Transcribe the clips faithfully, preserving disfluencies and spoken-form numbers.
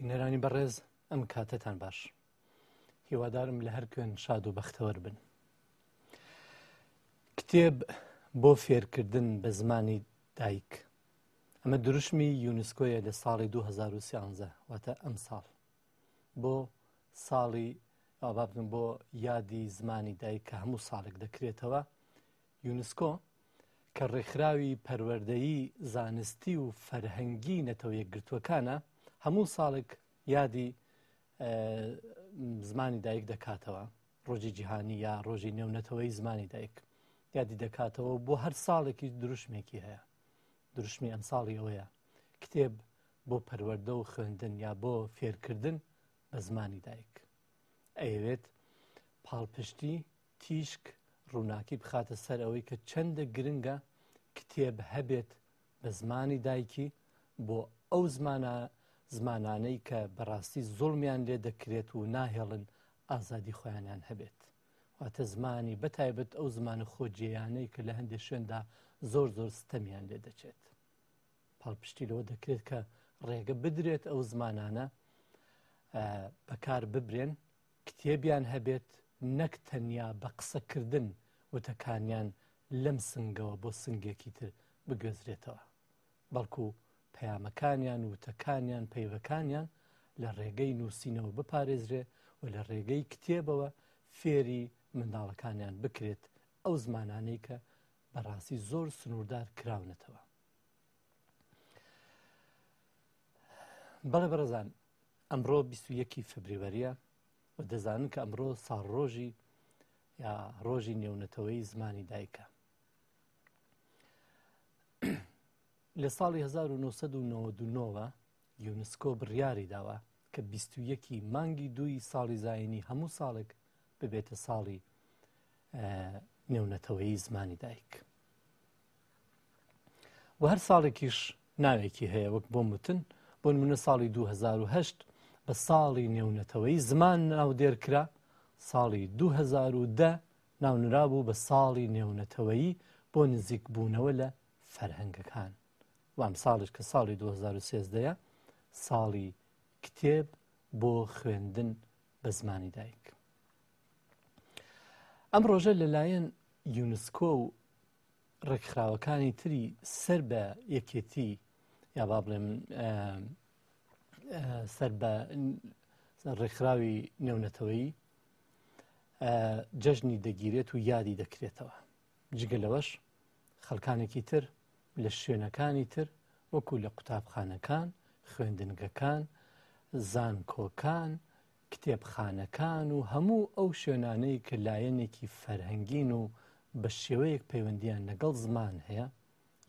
بینەرانی بەڕێز، ئەم کاتەتان باش. هیوادارم لە هەر کوێن شاد و بەختەوەر بن. کتێب بۆ فێرکردن بە زمانی دایک. ئەمە دروشمی یونسکۆیە لە ساڵی دوو هەزار و سیانزە، واتە ئەم ساڵ. بۆ ساڵی ئابابن بۆ یادی زمانی دایک کە هەموو ساڵێک دەکرێتەوە، یونسکۆ کە ڕێکخراوی پەروەردەیی زانستی و فەرهەنگی نەتەوە یەکگرتووەکانە، هەموو ساڵێک یادی زمانی دایک دەکاتەوە، ڕۆژی جیهانی یا ڕۆژی نێونەتەوەی زمانی دایک یادی دەکاتەوە. بۆ هەر ساڵێکی دروشمێکی هەیە. دروشمی ئەم ساڵی ئەوەیە کتێب بۆ پەروەردە و خوێندن یا بۆ فێرکردن بە زمانی دایک. ئەیەوێت پاڵپشتی تیشک ڕووناکی بخاتە سەر ئەوەی کە چەندە گرنگە کتێب هەبێت بە زمانی دایکی بۆ ئەو زمانە زمانانەی کە بەڕاستی زوڵمیان لێ دەکرێت و ناهێڵن ئازادی خۆیانیان هەبێت. واتە زمانی بەتایبەت ئەو زمانە خۆجێیانەی کە لە هەندێک شوێندا زۆر زۆر ستەمیان لێ دەچێت. پاڵپشتی لەوە دەکرێت کە ڕێگە بدرێت ئەو زمانانە بەکار ببرێن، کتێبیان هەبێت، نەک تەنیا بە قسەکردن وتەکانیان لەم سنگەوە بۆ سنگێکی تر بگوێزرێتەوە، بەڵکو پەیامەکانیان وتەکانیان پەیوەکانیان لە ڕێگەی نووسینەوە بپارێزرێ و لە ڕێگەی کتێبەوە فێری منداڵەکانیان بکرێت ئەو زمانانەی کە بەڕاستی زۆر سنووردار کراونەتەوە. بەڵێ بەڕێزان، ئەمڕۆ بیست و یەکی فبریوەریە و دەزانن کە ئەمڕۆ ساڵڕۆژی یا ڕۆژی نێونەتەوەی زمانی دایکە. لە ساڵی هەزار و نۆسەد و نەوەد و نۆوە یونسکۆ بڕیاری داوە کە بیست و یەکی مانگی دووی ساڵی زایینی هەموو ساڵێک ببێتە ساڵی نێونەتەوەی زمانی دایک. و هەر ساڵێکیش ناوێکی هەیە وەک بۆ متن، بۆ نمونە ساڵی دوو هەزار و هەشت بە ساڵی نێونەتەوەی زمان ناودێر کرا، ساڵی دوو هەزار و دە ناونرا بوو بە ساڵی نێونەتەوەیی بۆ نزیکبوونەوە لە فەرهەنگەکان. وام ساڵیش کە ساڵی دوو هەزار و سێزدەیە ساڵی کتێب بۆ خوێندن بە زمانی دایک. ئەم ڕۆژە لەلایەن یونسکۆ و ڕێکخراوەکانی تری سەر بە یەکێتی یا با بڵێم سەر بە ڕێکخراوی نێونەتەوەیی جەژنی دەگیرێت و یادی دەکرێتەوە. جگە لەوەش خەڵکانێکی تر لە شوێنەکانی تر وەکو لە قوتابخانەکان، خوێندنگەکان، زانکۆکان، کتێبخانەکان و هەموو ئەو شوێنانەی کە لایەنێکی فەرهەنگین و بە شێوەیەک پەیوەندیان لەگەڵ زمان هەیە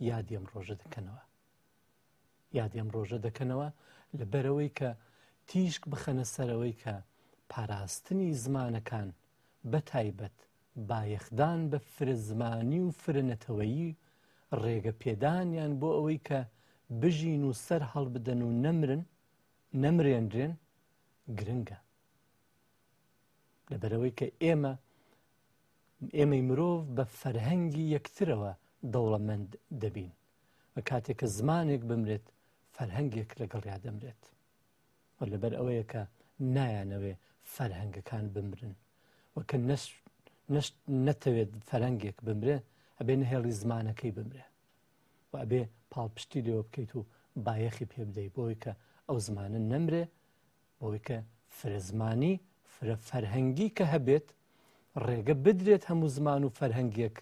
یادی ئەم ڕۆژە دەکەنەوە. یادی ئەم ڕۆژە دەکەنەوە لەبەرەوەی کە تیشک بخەنە سەرەوەی کە پاراستنی زمانەکان بەتایبەت بایەخدان بە فرە زمانی و فرە نەتەوەیی ڕێگە پێدانیان بۆ ئەوەی کە بژین و سەر هەڵبدەن و نەمرن نەمرێنرێن گرنگە. لەبەرەوەی کە ئێمە ئێمەی مرۆڤ بە فەرهەنگی یەکترەوە دەوڵەمەند دەبین و کاتێک کە زمانێک بمرێت فەرهەنگێک لەگەڵیا دەمرێت. و لەبەر ئەوەیە کە نایانەوێ فەرهەنگەکان بمرن و کە نەتەوێت فەرهەنگێک بمرێ ئەبێ نەهێڵی زمانەکەی بمرێ و ئەبێ پاڵپشتی لێوە بکەیت و بایەخی پێ بدەیت بۆی کە ئەو زمانە نەمرێ، بۆی کە فرەزمانی فرە فەرهەنگی کە هەبێت ڕێگە بدرێت هەموو زمان و فەرهەنگێک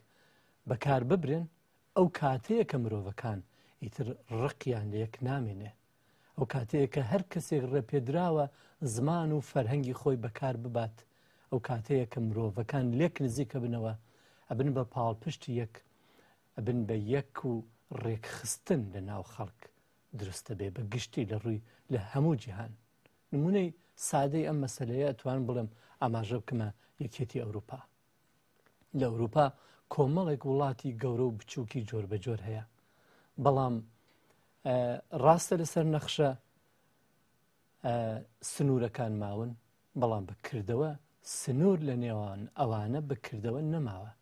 بەکار ببرێن. ئەو کاتەیە کە مرۆڤەکان ئیتر ڕقیان لە یەک نامێنێ، ئەو کاتەیە کە هەر کەسێک ڕێپێدراوە زمان و فەرهەنگی خۆی بەکار ببات، ئەو کاتەیە کە مرۆڤەکان لێک نزیکە بنەوە، ئەبن بە پاڵپشتی یەک، ئەبن بە یەک و ڕێکخستن لە ناو خەڵک دروستە بێ بە گشتی لە ڕووی لە هەموو جیهان. نمونەی سادەی ئەم مەسلەیە ئەتوانم بڵێم ئاماژە بکەمە یەکێتی ئەوروپا. لە ئەوروپا کۆمەڵێک وڵاتی گەورە و بچووکی جۆر بە جۆر هەیە، بەڵام ڕاستە لەسەر نەخشە سنوورەکان ماون، بەڵام بکردەوە سنوور لە نێوان ئەوانە بکردەوە نەماوە.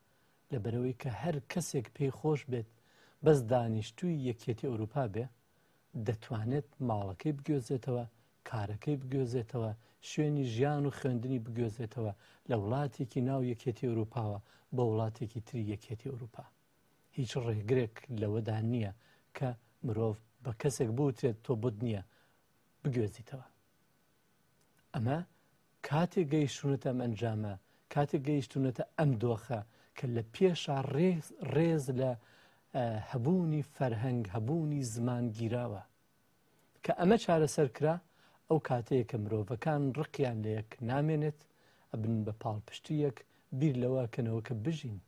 لەبەرەوەی کە هەر کەسێک پێی خۆش بێت بەس دانیشتووی یەکێتی ئەوروپا بێ دەتوانێت ماڵەکەی بگوێزێتەوە کارەکەی بگوێزێتەوە، شوێنی ژیان و خوێندنی بگوێزێتەوە لە وڵاتێکی ناو یەکێتی ئەوروپاوە بۆ وڵاتێکی تری یەکێتی ئەوروپا. هیچ ڕێگرێک لەوەدا نییە کە مرۆڤ بە کەسێک بوترێت تۆ بۆت نییە بگوێزیتەوە. ئەمە کاتێک گەیشتونەتە ئەم ئەنجامە، کاتێک گەیشتونەتە ئەم دۆخە کە لە پێشا ڕێز لە هەبوونی فەرهەنگ، هەبوونی زمان گیراوە. کە ئەمە چارەسەر کرا، ئەو کاتەیە کە مرۆڤەکان ڕقیان لە یەک نامێنێت، ئەبن بە پاڵپشتیەک بیر لەوە کەنەوە کە بژین،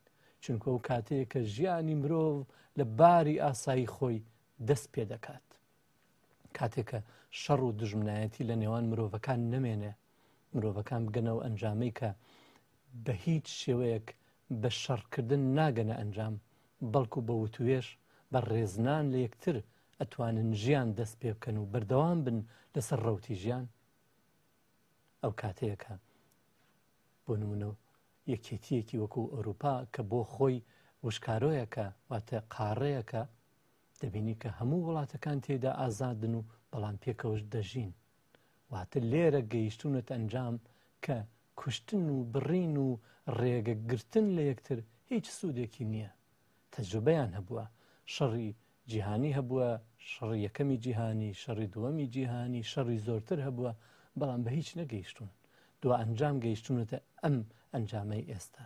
چونکە ئەو کاتەیە کە ژیانی مرۆڤ لە باری ئاسایی خۆی دەست پێ دەکات. کاتێکە شەڕ و دژمنایەتی لە نێوان مرۆڤەکان نەمێنێ، مرۆڤەکان بگەنەوە ئەنجامەی کە بە هیچ شێوەیەک بە شەڕکردن ناگەنە ئەنجام، بەڵکو بە وتوێش بە ڕێزنان لە یەکتر ئەتوانن ژیان دەست پێ بکەن و بەردەوام بن لەسەر ڕەوتی ژیان. ئەو کاتەیەکە بۆ نمونە یەکێتیەکی وەکو ئەوروپا کە بۆ خۆی وشکارۆیەکە، واتە قاڕەیەکە، دەبینی کە هەموو وڵاتەکان تێدا ئازادن و بەڵام پێکەوەش دەژین. واتە لێرە گەیشتونەتە ئەنجام کە کوشتن و بڕین و ڕێگەگرتن لە یەکتر هیچ سوودێکی نییە. تەجروبەیان هەبووە، شەڕی جیهانی هەبووە، شەڕی یەکەمی جیهانی، شەڕی دووەمی جیهانی، شەڕی زۆرتر هەبووە، بەڵام بە هیچ نەگەیشتون. دو ئەنجام گەیشتونەتە ئەم ئەنجامەی ئێستا.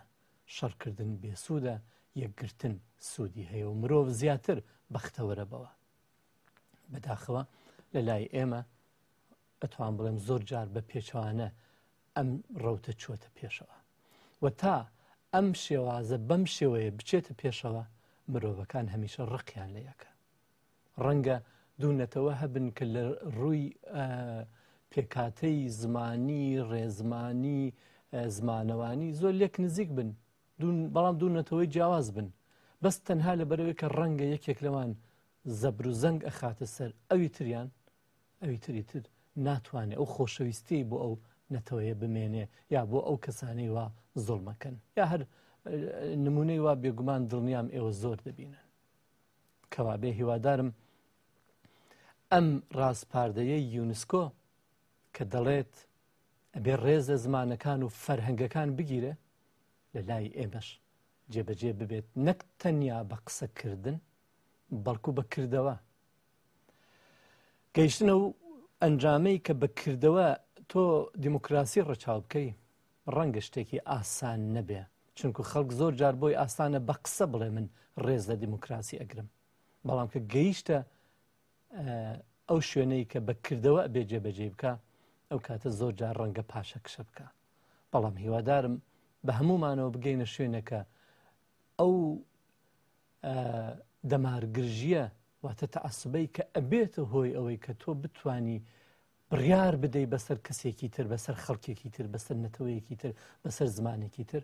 شەڕکردن بێسوودە، یەکگرتن سوودی هەیە و مرۆڤ زیاتر بەختەوەرە بەوە. بەداخەوە لە لای ئێمە ئەتوان بڵێم زۆر جار بە پێچەوانە ئەم ڕەوتە چووەتە پێشەوە و تا ئەم شێوازە بەم شێوەیە بچێتە پێشەوە، مرۆڤەکان هەمیشە ڕقیان لە یەکە. ڕەنگە دوونەتەوە هەبن کە لە ڕووی پێکاتەی زمانی، ڕێزمانی، زمانەوانی زۆر لێک نزیک بن، بەڵام دوونەتەوەی جیاواز بن، بەس تەنها لەبەرەوەی کە ڕەنگە یەکێک لەوان زەبر و زەنگ ئەخاتە سەر ئەوی تریان، ئەوی تری تر ناتوانێت ئەو خۆشەویستی بۆ ئەو نەتەوەیە بمێنێ یا بۆ ئەو کەسانەی وا زوڵمەکەن، یا هەر نمونەی وا بێگومان دڵنیام ئێوە زۆر دەبینن. کەوا بێ هیوادارم ئەم ڕاسپاردەیەی یونسکۆ کە دەڵێت ئەبێ ڕێز لە زمانەکان و فەرهەنگەکان بگیرێ، لە لای ئێمەش جێبەجێ ببێت، نەک تەنیا بە قسەکردن بەڵکو بەکردەوە. گەیشتنە و ئەنجامەی کە بەکردەوە تۆ دیموکراسی ڕەچاو بکەی ڕەنگە شتێکی ئاسان نەبێ، چونکو خەڵک زۆر جار بۆی ئاسانە بە قسە بڵێ من ڕێز لە دیموکراسی ئەگرم، بەڵام کە گەیشتە ئەو شوێنەی کە بەکردەوە ئەبێ جێبەجێ بکە، ئەو کاتە زۆر جار ڕەنگە پاشەکشە بکە. بەڵام هیوادارم بە هەمومانەوە بگەینە شوێنەکە ئەو دەمارگرژیە واتە تەعەسوبەی کە ئەبێتە هۆی ئەوەی کە تۆ بتانی بڕیار بدەی بەسەر کەسێکی تر، بەسەر خەڵکێکی تر، بەسەر نەتەوەیەکی تر، بەسەر زمانێکی تر.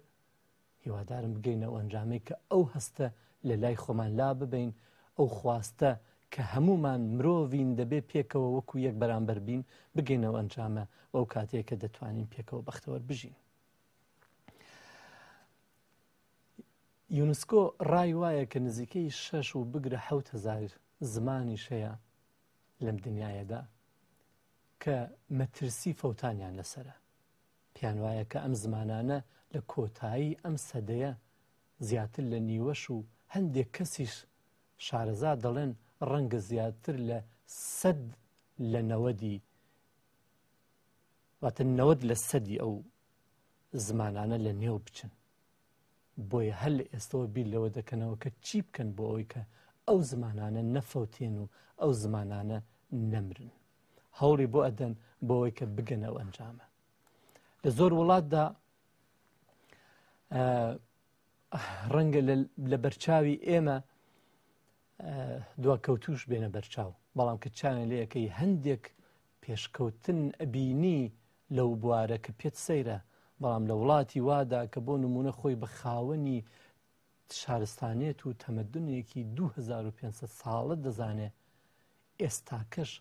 هیوادارم بگەینە ئەو ئەنجامەی کە ئەو هەستە لە لای خۆمان لا ببین، ئەو خواستە کە هەمومان مرۆڤین دەبێ پێکەوە وەکو یەک بەرامبەر بین، بگەینەوە ئەنجامە ئەو کاتەیە کە دەتوانین پێکەوە بەختەوەر بژین. یونسکۆ ڕای وایە کە نزیکەی شەش و بگرە حەوت هەزار زمانیش هەیە لەم دنیایەدا کە مەترسی فەوتانیان لەسەرە. پێیان وایە کە ئەم زمانانە لە کۆتایی ئەم سەدەیە زیاتر لە نیوەش و هەندێک کەسیش شارەزا دەڵێن ڕەنگە زیاتر لە سەد لە نەوەدی، واتە نەوەد لە سەدی ئەو زمانانە لە نێو بچن. بۆیە هەر لە ئێستەوە بیر لەوە دەکەنەوە کە چی بکەن بۆ ئەوەی کە ئەو زمانانە نەفەوتێن و ئەو زمانانە نەمرن. هەوڵی بۆ ئەدەن بۆ ئەوەی کە بگەنەوە ئەنجامە. لە زۆر وڵاتدا ڕەنگە لە بەرچاوی ئێمە دواکەوتوش بێنە بەرچاو، بەڵام کە چاویان لێیەکەی هەندێک پێشکەوتن ئەبینی لەو بوارە کە پێت سەیرە، بەڵام لە وڵاتی وادا کە بۆ نمونە خۆی بە خاوەنی شارستانێت و تەمەدنێکی دوو هەزار و پێنج سەد ساڵە دەزانێ، ئێستاکەش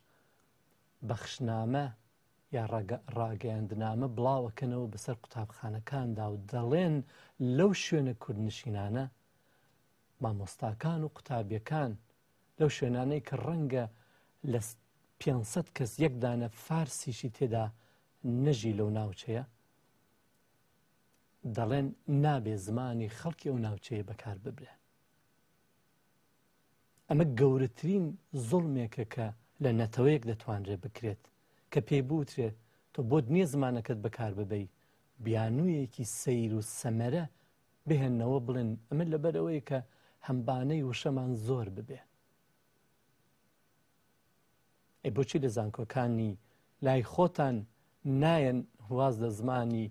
بەخشنامە یا ڕاگەیاندنامە بڵاوەکەنەوە بەسەر قوتابخانەکاندا و دەڵێن لەو شوێنە کوردنشینانە مامۆستاکان و قوتابیەکان لەو شوێنانەی کە ڕەنگە لە پێنج سەد کەس یەک دانە فارسیشی تێدا نەژی لەو ناوچەیە، دەڵێن نابێ زمانی خەڵکی ئەو ناوچەیە بەکار ببرێ. ئەمە گەورەترین زوڵمێکە کە لە نەتەوەیەک دەتوانرێت بکرێت کە پێی بوترێت تۆ بۆت نییە زمانەکەت بەکار ببەی، بیانوویەکی سەیر و سەمەرە بهێننەوە بڵێن ئەمە لەبەر ئەوەیە کە هەمبانەی وشەمان زۆر ببێ. ئەی بۆچی لە زانکۆکانی لای خۆتان نایەن واز لە زمانی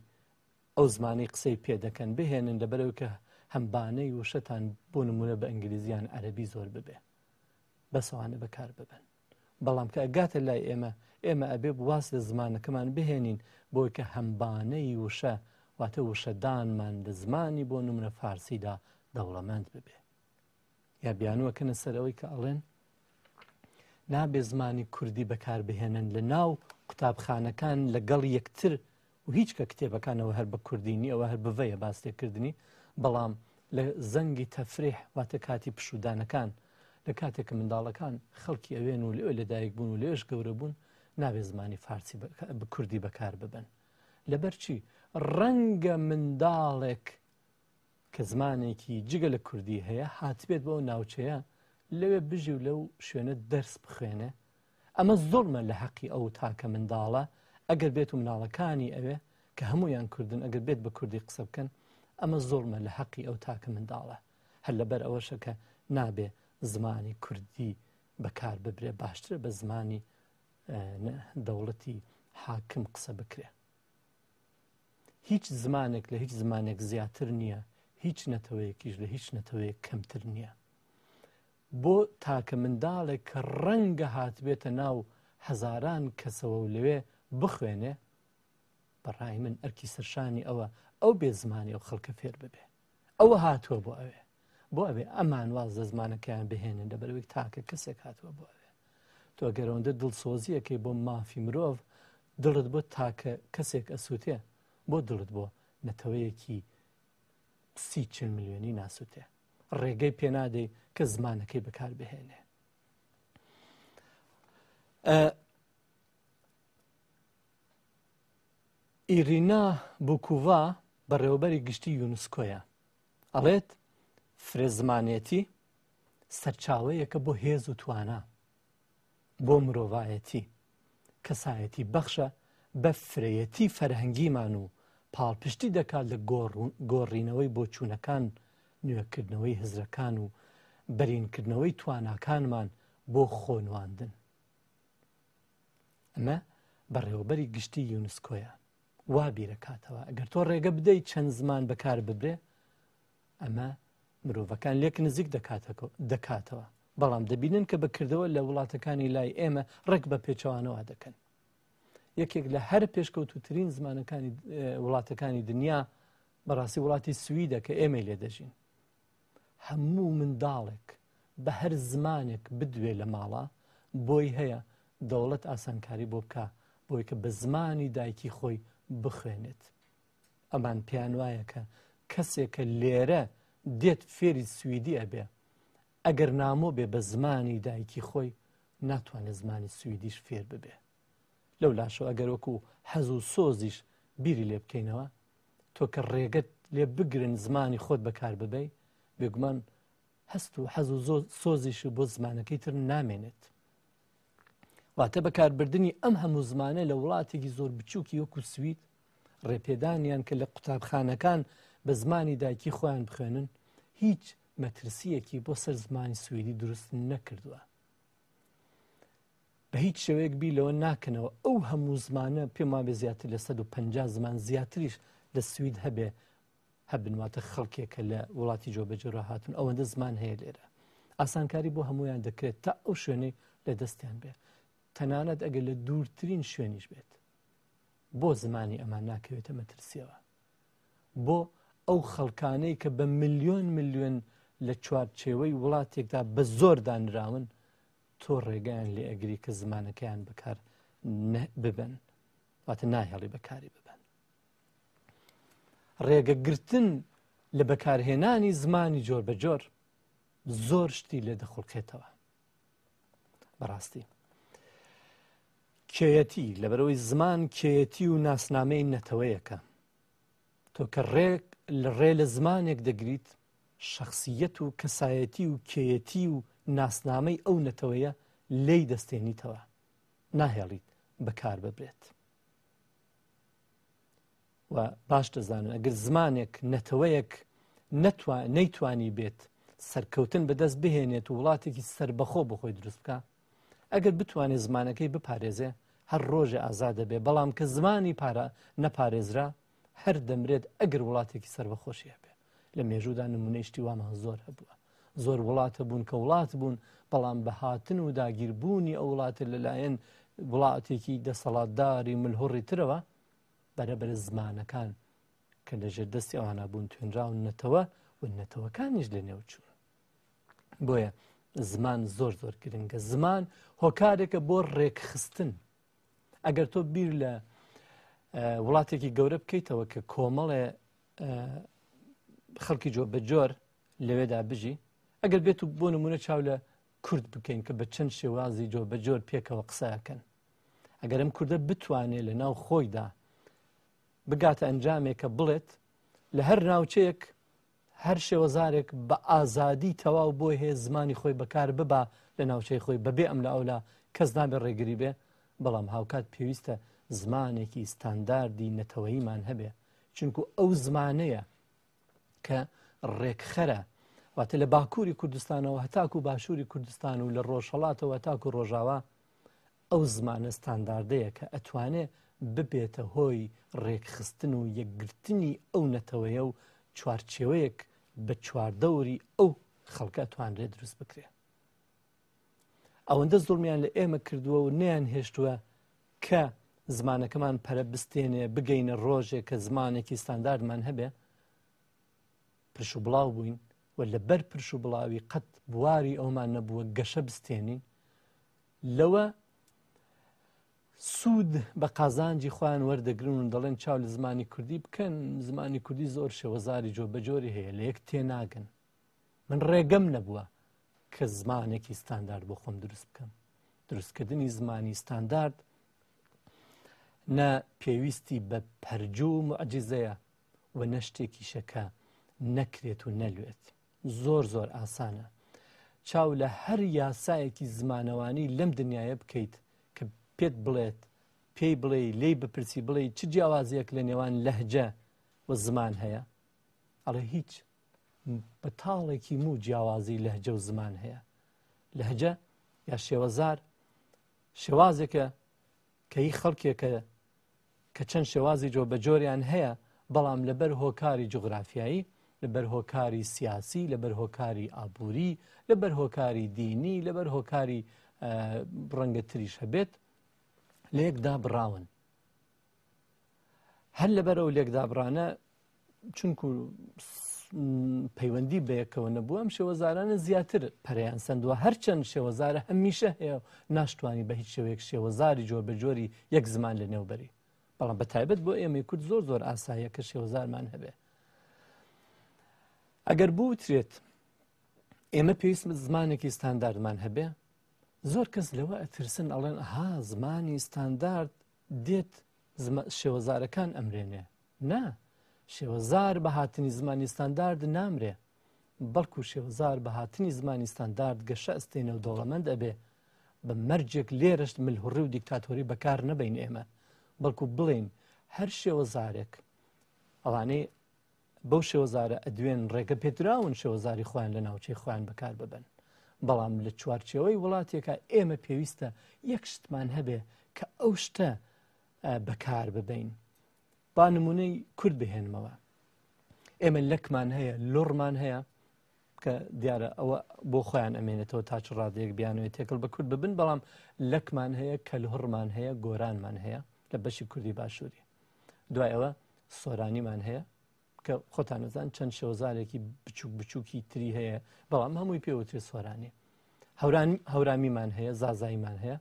ئەو زمانەی قسەی پێ دەکەن بهێنن لەبەرەوە کە هەمبانەی وشەتان بۆ نمونە بە ئینگلیزیان عەرەبی زۆر ببێ، بەسەوانە بەکار ببن. بەڵام کە ئەگاتە لای ئێمە، ئێمە ئەبێ واز لە زمانەکەمان بهێنین بۆی کە هەمبانەی وشە واتە وشەدانمان لە زمانی بۆ نمونە فارسیدا دەوڵەمەند ببێ. یا بیانووەکەنە سەر ئەوەی کە ئەڵێن نابێ زمانی کوردی بەکاربهێنن لە ناو قوتابخانەکان لەگەڵ یەکتر و هیچ کە کتێبەکانەوە هەر بە کوردینی ئەوە هەر بڤەیە باس لێکردنی، بەڵام لە زەنگی تەفریح واتە کاتی پشودانەکان لە کاتێک کە منداڵەکان خەڵکی ئەوێن و لەوێ لەدایک بوون و لەوێش گەورە بوون نابێ زمانی فارسی بە کوردی بەکار ببن. لەبەرچی ڕەنگە منداڵێک کە زمانێکی جگە لە کوردی هەیە هاتبێت بۆ ناوچەیە لەوێ بژی و لەو شوێنە دەرس بخوێنێ، ئەمە زۆرمە لە حەقی ئەو تاکە منداڵە ئەگەر بێت و مناڵەکانی ئەوێ کە هەمویان کوردن ئەگەر بێت بە کوردی قسە بکەن، ئەمە زۆرمە لە حەقی ئەو تاکە منداڵە. هەر لەبەر ئەوەشە کە نابێ زمانی کوردی بەکار ببرێ، باشترە بە زمانی دەوڵەتی حاکم قسە بکرێ. هیچ زمانێک لە هیچ زمانێک زیاتر نییە، هیچ نەتەوەیەکیش لە هیچ نەتەوەیەک کەمتر نییە. بۆ تاکە منداڵێک کە ڕەنگە هاتبێتە ناو هەزاران کەسەوە و لەوێ بخوێنێ، بەڕای من ئەرکی سەرشانی ئەوە ئەو بێ زمانی ئەو خەڵکە فێر ببێ. ئەوە هاتووە بۆ ئەوێ، بۆ ئەوێ ئەمان واز لە زمانەکەیان بهێنن لەبەرەوەی تاکە کەسێک هاتووە بۆ ئەوێ. تۆ ئەگەر ئەوەندە دڵسۆزیەکەی بۆ مافی مرۆڤ دڵت بۆ تاکە کەسێک ئەسووتێ، بۆ دڵت بۆ نەتەوەیەکی سی چل ملیۆنی ناسووتێ، ڕێگەی پێنادەی کە زمانەکەی بەکار بهێنێ. ئیرینا بوکوڤا بەڕێوەبەری گشتی یونسکۆیە ئەڵێت فرەزمانێتی سەرچاوەیەکە بۆ هێز و توانا، بۆ مرۆڤایەتی، کەسایەتی بەخشە بە فرەیەتی فەرهەنگیمان و پاڵپشتی دەکات لە گۆڕینەوەی بۆچوونەکان، نوێکردنەوەی هزرەکان و بەرینکردنەوەی تواناکانمان بۆ خۆنواندن. ئەمە بەڕێوەبەری گشتی یونسکۆیە وا بیرەکاتەوە ئەگەر تۆ ڕێگە بدەیت چەند زمان بەکار ببرێ، ئەمە مرۆڤەکان لێک نزیک دەکاتەوە. بەڵام دەبینن کە بەکردەوە لە وڵاتەکانی لای ئێمە ڕێک بە پێچەوانەوە دەکەن. یەکێک لە هەر پێشکەوتوترین زمانەکانی وڵاتەکانی دنیا بەڕاستی وڵاتی سویدە کە ئێمەی لێ دەژین. هەموو منداڵێک بە هەر زمانێک بدوێ لە ماڵە بۆی هەیە دەوڵەت ئاسانکاری بۆ بکە بۆی کە بە زمانی دایکی خۆی بخوێنێت. ئەمان پێیان وایە کە کەسێکە لێرە دێت فێری سویدی ئەبێ، ئەگەر نامۆ بێ بە زمانی دایکی خۆی ناتوانێت زمانی سویدیش فێر ببێ. لەو لاشەوە ئەگەر وەکو حەز و سۆزیش بیری لێ بکەینەوە، تۆ کە ڕێگەت لێ بگرن زمانی خۆت بەکار ببەی، بێگومان هەست و حەز و سۆزیش بۆ زمانەکەی تر نامێنێت. واتە بەکاربردنی ئەم هەموو زمانە لە وڵاتێکی زۆر بچووکی وەکو سوید، ڕێپێدانیان کە لە قوتابخانەکان بە زمانی دایکی خۆیان بخوێنن، هیچ مەترسیەکی بۆ سەر زمانی سویدی دروست نەکردووە. بە هیچ شێوەیەک بی لەوە ناکەنەوە ئەو هەموو زمانە پێم وابێ زیاتر لە سەد و پەنجا زمان زیاتریش لە سوید هەبێ هەبن، واتە خەڵکێکە لە وڵاتی جۆبەجۆرە هاتون، ئەوەندە زمان هەیە لێرە. ئاسانکاری بۆ هەمویان دەکرێت تا ئەو شوێنەی لە دەستیان بێ، تەنانەت ئەگەر لە دوورترین شوێنیش بێت. بۆ زمانی ئەمان ناکەوێتە مەترسیەوە. بۆ ئەو خەڵکانەی کە بە ملیۆن ملیۆن لە چوارچێوەی وڵاتێکدا بە زۆر دانراون، تۆ ڕێگەیان لێ ئەگری کە زمانەکەیان بەکار ببن، واتە ناهێڵی بەکاری ببن. ڕێگەگرتن لە بەکارهێنانی زمانی جۆر بە جۆر زۆر شتی لێ دەخوڵقێتەوە. بەڕاستی کێیەتی، لەبەرەوەی زمان کێیەتی و ناسنامەی نەتەوەیەکە. تۆ کە ڕێک لە ڕێ لە زمانێک دەگریت، شەخسیەت و کەسایەتی و کێیەتی و ناسنامەی ئەو نەتەوەیە لێی دەستێنیتەوە، ناهێڵیت بەکار ببرێت. و باش دەزانن ئەگەر زمانێک نەتەوەیەک نەیتوانی بێت سەرکەوتن بەدەست بهێنێت و وڵاتێکی سربەخۆ بخۆی دروست بکە، ئەگەر بتوانێت زمانەکەی بپارێزێ هەر ڕۆژێ ئازاد دەبێ، بەڵام کە زمانی پارە نەپارێزرا هەر دەمرێت ئەگەر وڵاتێکی سربەخۆشی هەبێ. لە مێژوودا نمونەی شتی وامان زۆر هەبووە، زۆر وڵاتە بوون کە وڵات بوون، بەڵام بەهاتن و داگیربوونی ئەو وڵاتە لەلایەن وڵاتێکی دەسەڵاتداری ملهوڕی ترەوە بەرەبەر زمانەکان کە لەژێر دەستی ئەوانە بوون توێنراونەتەوە و نەتەوەکانیش لەنێو چوون. بۆیە زمان زۆر زۆر گرنگە. زمان هۆکارێکە بۆ ڕێکخستن. ئەگەر تۆ بیر لە وڵاتێکی گەورە بکەیتەوە کە کۆمەڵێ خەڵکی جۆ بە جۆر لەوێدا بژی، ئەگەر بێت و بۆ نمونە چاو لە کورد بکەین کە بە چەند شێوازی جۆ بە جۆر پێکەوە قسەکەن، ئەگەر ئەم کوردە بتوانێت لە ناو خۆیدا بگاتە ئەنجامێکە بڵێت لە هەر ناوچەیەک هەر شێوەزارێک بە ئازادی تەواو بۆی هەیە زمانی خۆی بەکار ببا لە ناوچەی خۆی بەبێ ئەم لە ئەولا کەس نابێت ڕێگری بێ، بەڵام هاوکات پێویستە زمانێکی ستانداردی نەتەوەییمان هەبێ، چونکو ئەو زمانەیە کە ڕێکخەرە، واتە لە باکووری کوردستانەوە هەتاکو باشووری کوردستان و لە ڕۆژهەڵاتەوە هەتاکو ڕۆژاوا ئەو زمانە ستانداردەیە کە ئەتوانێ ببێتە هۆی ڕێکخستن و یەکگرتنی ئەو نەتەوەیە و چوارچێوەیەک بە چواردەوری ئەو خەڵکە ئەتوانرێت دروست بکرێ. ئەوەندە زوڵمیان لە ئێمە کردووە و نەیان هێشتووە کە زمانەکەمان پەرە بستێنێ بگەینە ڕۆژێک کە زمانێکی ستانداردمان هەبێ، پرش و بڵاو بووین و لەبەر پرش و بڵاوی قەت بواری ئەومان نەبووە گەشە بستێنین. لەوە سوود بە قازانجی خۆیان وەردەگرن و دەڵێن چاو لە زمانی کوردی بکەن، زمانی کوردی زۆر شێوەزاری جۆ بە جۆری هەیە، لە یەک تێناگەن. من ڕێگەم نەبووە کە زمانێکی ستاندارد بۆ خۆم دروست بکەم. دروستکردنی زمانی ستاندارد نە پێویستی بە پەرجوو و معجزەیە و نە شتێکیشەکە نەکرێت و نەلوێت. زۆر زۆر ئاسانە. چاو لە هەر یاسایەکی زمانەوانی لەم دنیاە بکەیت کە پێت بڵێت، پێی بڵێ، لێی بپرسی بڵێ چ جیاوازیەک لە نێوان لەهجە و زمان هەیە، ئەڵێ هیچ، بە تاڵێکی مو جیاوازی لەهجە و زمان هەیە. لەهجە یا شێوەزار شێوازێکە کە هی خەڵکێکە کە چەند شێوازی جۆ بە جۆریان هەیە، بەڵام لەبەر هۆکاری جوگرافیایی، لەبەر هۆکاری سیاسی، لەبەر هۆکاری ئابووری، لەبەر هۆکاری دینی، لەبەر هۆکاری ڕەنگە تریش هەبێت، لێکدا بڕاون. هەر لەبەر ئەو لێکدا بڕانە چونکو پەیوەندی بەیەکەوە نەبوو، ئەم شێوەزارانە زیاتر پەرەیان سەندووە. هەرچەند شێوەزارە هەمیشە هەیە و ناشتوانی بە هیچ شێوەیەک شێوەزاری جۆر بە جۆری یەک زمان لەنێوبەری، بەڵام بە تایبەت بۆ ئێمەی کورد زۆر زۆر ئاساییە کە شێوەزارمان هەبێ. ئەگەر بوترێت ئێمە پێویست زمانێکی ستانداردمان هەبێ، زۆر کەس لەوە ئەترسن، ئەڵێن ئەها زمانی ستاندارد دێت شێوەزارەکان ئەمرێنێ. نا، شێوەزار بە هاتنی زمانی ستاندارد نامرێ، بەڵکو شێوەزار بە هاتنی زمانی ستاندارد گەشە ئەستێنە و دەوڵەمەند ئەبێ. بە مەرجێک لێرەشت ملهوڕی و دیکتاتۆری بەکار نەبین ئێمە، بەڵکو بڵێن هەر شێوەزارێک ئەوانەی بەو شێوەزارە ئەدوێن ڕێگە پێدراون شێوەزاری خۆیان لە ناوچەی خۆیان بەکار ببن، بەڵام لە چوارچێوەی وڵاتێکە ئێمە پێویستە یەک شتمان هەبێ کە ئەو شتە بەکار ببین. با نمونەی کورد بهێنمەوە. ئێمە لەکمان هەیە، لوڕمان هەیە کە دیارە ئەوە بۆ خۆیان ئەمێنێتەوە تا چ ڕادەیەک بیانەوێت تێکەڵ بە کورد ببن، بەڵام لەکمان هەیە، کەلهوڕمان هەیە، گۆرانمان هەیە لە بەشی کوردی باشووری. دوای ئەوە سۆرانیمان هەیە کە خۆتان نەزان چەند شێوەزارێکی بچوک بچووکی تری هەیە، بەڵام هەمووی پێوترێ سۆرانی. هەورامیمان هەیە، زازاییمان هەیە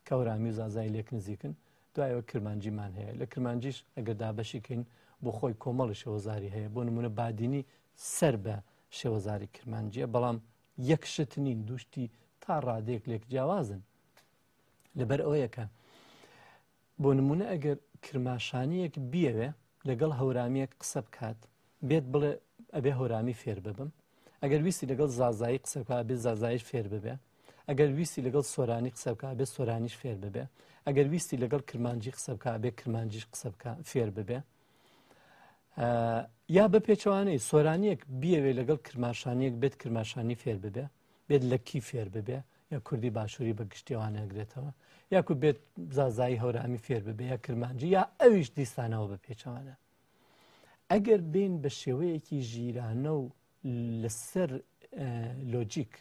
کە هەورامی و زازایی لێک نزیکن. دوایەوە کرمانجیمان هەیە. لە کرمانجیش ئەگەر دابەشیکەین بۆ خۆی کۆمەڵی شێوەزاری هەیە، بۆ نمونە بادینی سەر بە شێوەزاری کرمانجیە، بەڵام یەک شت نین، دووشتی تا ڕادەیەک لێک جیاوازن. لەبەر ئەوەیەکە بۆ نمونە ئەگەر کرماشانیەک بیەوێ لەگەڵ هەورامیەک قسە بکات، بێت بڵێ ئەبێ هەورامی فێر ببم. ئەگەر ویستی لەگەڵ زازایی قسە بکات ئەبێ زازاییش فێر ببێ. ئەگەر ویستی لەگەڵ سۆرانی قسە بکات ئەبێ سۆرانیش فێر ببێ. ئەگەر ویستی لەگەڵ کرمانجی قسە بکات ئەبێ کرمانجیش قسە بکات فێر ببێ. یا بە پێچەوانەی سۆرانیەک بیەوێ لەگەڵ کرماشانیەک بێت کرماشانی فێر ببێ، بێت لەکی فێر ببێ یا کوردی باشووری بە گشتیوانە ئەگرێتەوە، یاکو بێت زازایی هەورامی فێر ببێ یا کرمانجی یا ئەویش دیسانەوە بە پێچەوانە. ئەگەر بین بە شێوەیەکی ژیرانە و لەسەر لۆجیک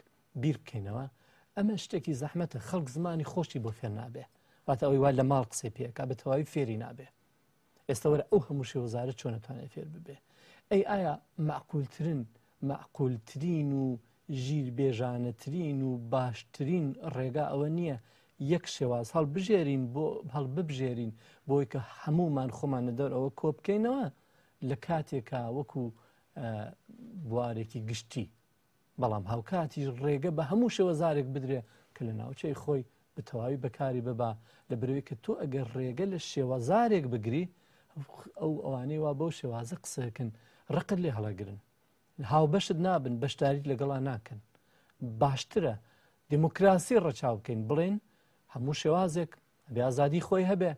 بیر بکەینەوە، ئەمە شتێکی زەحمەتە. خەڵک زمانی خۆشی بۆ فێر نابێ، واتە ئەوەی وا لە ماڵ قسەی پێکا بە تەواوی فێری نابێ. ئێستا وەرە ئەو هەموو شێوەزارە چۆن ئەتوانێت فێر ببێ؟ ئەی ئایا معقولترین معقولترین و ژیر بێژانەترین و باشترین ڕێگا ئەوە نییە یەک شێواز هەڵبژێرین بۆ هەڵببژێرین بۆی کە هەمومان خۆمان لەدەور ئەوە کۆ بکەینەوە لە کاتێکا وەکو بوارێکی گشتی، بەڵام هاوکاتیش ڕێگە بە هەموو شێوەزارێک بدرێ کە لە ناوچەی خۆی بە تەواوی بەکاری ببا. لە بەرەوەی کە تۆ ئەگەر ڕێگە لە شێوەزارێک بگری، ئەو ئەوانەی وا بەو شێوازە قسەکەن ڕقت لێ هەڵەگرن، هاوبەشت نابن، بەشداریت لەگەڵا ناکەن. باشترە دیموکراسی ڕەچاو بکەین، بڵێن هەموو شێوازێک بێ ئازادی خۆی هەبێ،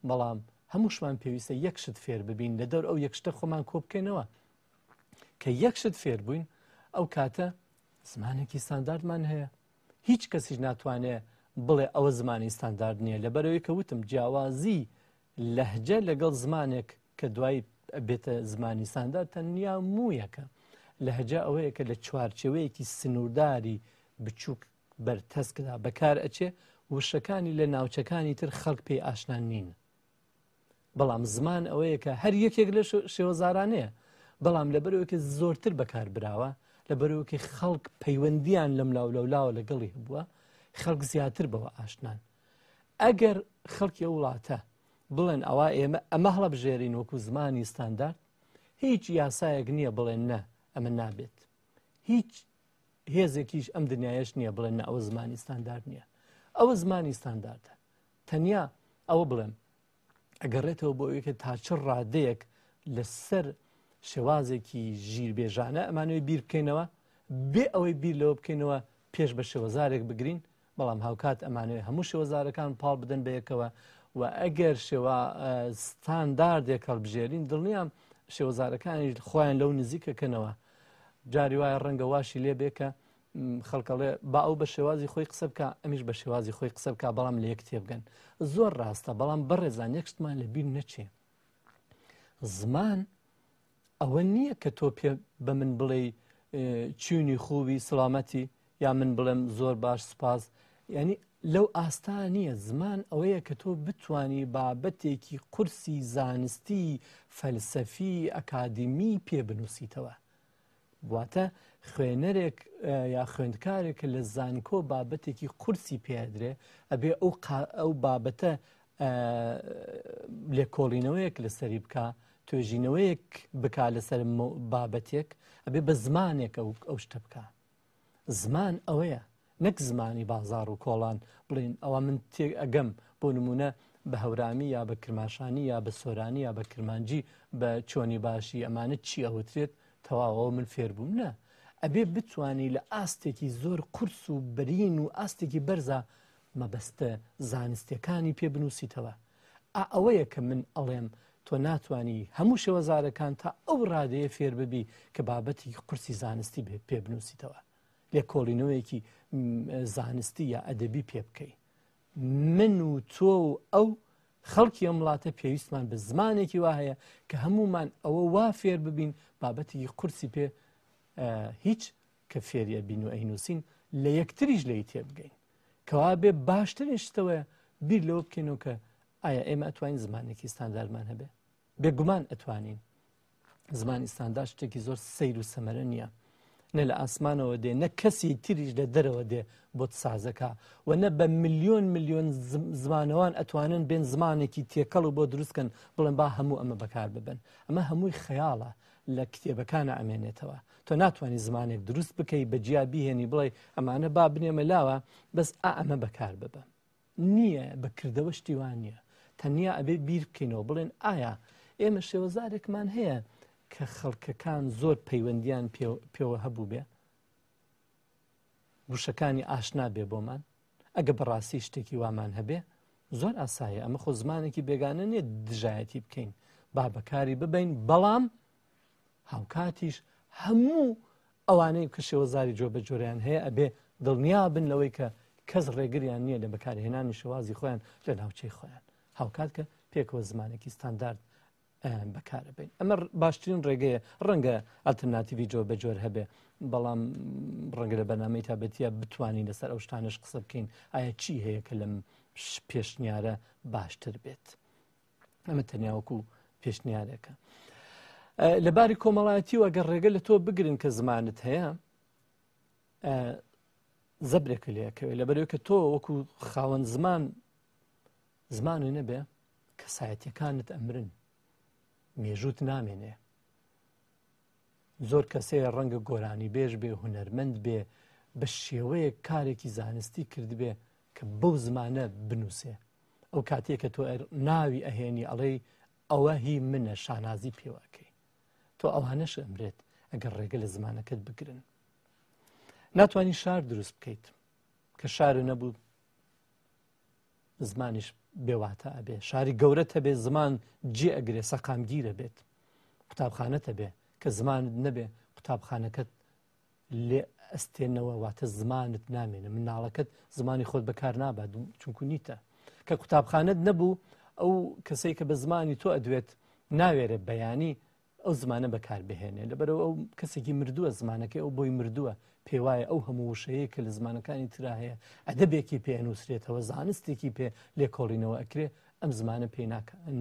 بەڵام هەمووشمان پێویستە یەک شت فێر ببین، لەدەور ئەو یەک شتە خۆمان کۆ بکەینەوە. کە یەک شت فێر بووین ئەو کاتە زمانێکی ستانداردمان هەیە. هیچ کەسیش ناتوانێت بڵێ ئەوە زمانی ستاندارد نییە، لەبەرەوەی کە وتم جیاوازی لەهجە لەگەڵ زمانێک کە دوای بێتە زمانی ستاندارد تەنیا موویەکە. لەهجە ئەوەیە کە لە چوارچێوەیەکی سنوورداری بچووک بەرتەسکدا بەکار ئەچێ، وشەکانی لە ناوچەکانی تر خەڵک پێی ئاشنان نین. بەڵام زمان ئەوەیە کە هەر یەکێک لە شێوەزارانەیە، بەڵام لەبەرەوەی کە زۆرتر بەکار براوە، لەبەرەوەی کە خەڵک پەیوەندیان لەم لاولەولاوە لەگەڵی هەبووە، خەڵک زیاتر بەوە ئاشنان. ئەگەر خەڵکی ئەو وڵاتە بڵێن ئەوە ئێمە ئەمە هەڵبژێرین وەکو زمانی ستاندارد، هیچ یاسایەک نییە بڵێن نە ئەمە نابێت. هیچ هێزێکیش ئەم دنیایش نییە بڵێن نە ئەوە زمانی ستاندارد نییە. ئەوە زمانی ستانداردە. تەنیا ئەوە بڵێم ئەگەڕێتەوە بۆ ئەوەی کە تا چ ڕادەیەک لەسەر شێوازێکی ژیربێژانە ئەمانەوەی بیر بکەینەوە، بێ ئەوەی بیر لەوە بکەینەوە پێش بە شێوەزارێک بگرین، بەڵام هاوکات ئەمانەوەی هەموو شێوەزارەکان پاڵ بدەن بەیەکەوە و ئەگەر شێوە ستانداردێک هەڵبژێرین دڵنیام شێوەزارەکانیش خۆیان لەو نزیکەکەنەوە. جاری وایە ڕەنگە واشی لێ بێ کە خەڵکەڵێ با ئەو بە شێوازی خۆی قسە بکە، ئەمیش بە شێوازی خۆی قسە بکە، بەڵام لە یەک تێبگەن. زۆر ڕاستە، بەڵام بەڕێزان یەک شتمان لەبیر نەچێ. زمان ئەوە نییە کە تۆ پێ بە من بڵێ چوونی خوبی سلامەتی یا من بڵێم زۆر باش سپاس، یعنی لەو ئاستا نییە. زمان ئەوەیە کە تۆ بتوانی بابەتێکی قورسی زانستی فەلسەفی ئەکادیمی پێ بنووسیتەوە. واتە خوێنەرێک یا خوێندکارێک لە زانکۆ بابەتێکی قورسی پێدرێ ئەبێ ئەو بابەتە لێکۆڵینەوەیەک لەسەری بکە، توێژینەوەیەک بکا لەسەر بابەتێک، ئەبێ بە زمانێک ئەو شتە بکە. زمان ئەوەیە، نەک زمانی بازار و کۆڵان بڵین ئەوە من تێک ئەگەم بۆ نمونە بە هەورامی یا بە کرماشانی یا بە سۆرانی یا بە کرمانجی بە چۆنی باشی ئەمانە چی ئەوترێت تەواوەوە من فێر بووم. نە، ئەبێ بتوانی لە ئاستێکی زۆر قورس و بەرین و ئاستێکی بەرزە مەبەستە زانستیەکانی پێ بنووسیتەوە. ئەوەیە کە من ئەڵێم تۆ ناتوانی هەموو شێوەزارەکان تا ئەو ڕادەیە فێر ببی کە بابەتی قورسی زانستی پێ بنووسیتەوە، لێکۆڵینەوەیەکی زانستی یا ئەدەبی پێ بکەی. من و تۆ و ئەو خەڵکی ئەم وڵاتە پێویستمان بە زمانێکی وا هەیە کە هەمومان ئەوە وا فێر ببین بابەتێکی قورسی پێ هیچ کە فێریە بین و ئەینووسین لە یەکتریش لێی تێبگەین. کەوا بێ باشترین شتەوەیە بیر لەوە بکەینەوە کە ئایا ئێمە ئەتوانین زمانێکی ستانداردمان هەبێ؟ بێگومان ئەتوانین. زمانی ستاندارد شتێکی زۆر سەیر و سەمەرە نییە، نە لە ئاسمانەوە دێ، نە کەسی تریش لە دەرەوە دێ بۆت سازەکە و نە بە ملیۆن ملیۆن زمانەوان ئەتوانن بێن زمانێکی تێکەڵ و بۆ دروستکەن بڵێن با هەموو ئەمە بەکار ببن. ئەمە هەمووی خەیاڵە لە کتێبەکانە ئەمێنێتەوە. تۆ ناتوانانی زمانێک دروست بکەی بە جیا بیهێنی بڵێ ئەمانە با بنێمە لاوە بەس ئا ئەمە بەکار ببە. نییە، بەکردەوە شتیوان نییە. تەنیا ئەبێ بیر بکەینەوە بڵێن ئایا ئێمە شێوەزارێکمان هەیە کە خەڵکەکان زۆر پەیوەندیان پێوە هەبوو بێ، وشەکانی ئاشنا بێ بۆمان. ئەگە بەڕاستی شتێکی وامان هەبێ زۆر ئاسایە، ئەمە خۆ زمانێکی بێگانە نییە دژایەتی بکەین، با بەکاری ببین، بەڵام هاوکاتیش هەموو ئەوانەی کە شێوەزاری جۆ بە جۆریان هەیە ئەبێ دڵنیا بن لەوەی کە کەس ڕێگریان نییە لە بەکارهێنانی شێوازی خۆیان لە ناوچەی خۆیان، هاوکات کە پێکەوە زمانێکی ستاندارد بەکارە بین. ئەمە باشترین ڕێگەیە. ڕەنگە ئەلتەرناتیڤی جۆ بە جۆر هەبێ، بەڵام ڕەنگە لە بەرنامەی تابەتیە بتوانین لەسەر ئەو شتانەش قسە بکەین ئایا چی هەیە کە لەم پێشنیارە باشتر بێت. ئەمە تەنیا وەکو پێشنیارێکە. لەباری کۆمەڵایەتی و ئەگەر ڕێگە لە تۆ بگرن کە زمانت هەیە زەبرێکە لێکەوێت، لەبەرەوەی کە تۆ وەکو خاوەن زمان زمانە نەبێ کەسایەتیەکانت ئەمرن، مێژووت نامێنێ. زۆر کەسەیە ڕەنگە گۆرانی بێژ بێ، هونەرمەند بێ، بە شێوەیەک کارێکی زانستی کردبێ کە بەو زمانە بنووسێ. ئەو کاتێک کە تۆ ناوی ئەهێنی ئەڵێی ئەوە هی منە، شانازی پێوەکەی، تۆ ئەوانەش ئەمرێت ئەگەر ڕێگە لە زمانەکەت بگرن. ناتوانی شار دروست بکەیت کە شارە نەبوو زمانیش بێواتە ئەبێ. شاری گەورەت هەبێ زمان جێ ئەگرێ، سەقامگیرە بێت. قوتابخانەت هەبێ کە زمانت نەبێ قوتابخانەکەت لێ ئەستێنەوە، واتە زمانت نامێنە، مناڵەکەت زمانی خۆت بەکار نابات چونکو نیتە. کە قوتابخانەت نەبوو ئەو کەسەی کە بە زمانی تۆ ئەدوێت ناوێرە بەیانی ئەو زمانە بەکار بهێنێ، لەبەرەوە ئەو کەسێکی مردووە، زمانەکەی ئەو بۆی مردووە، پێوایە ئەو هەموو وشەیە کە لە زمانەکانی ترا هەیە ئەدەبێکی پێ ئەنووسرێتەوە، زانستێکی پێ لێکۆڵینەوە ئەکرێ، ئەم زمانە پێی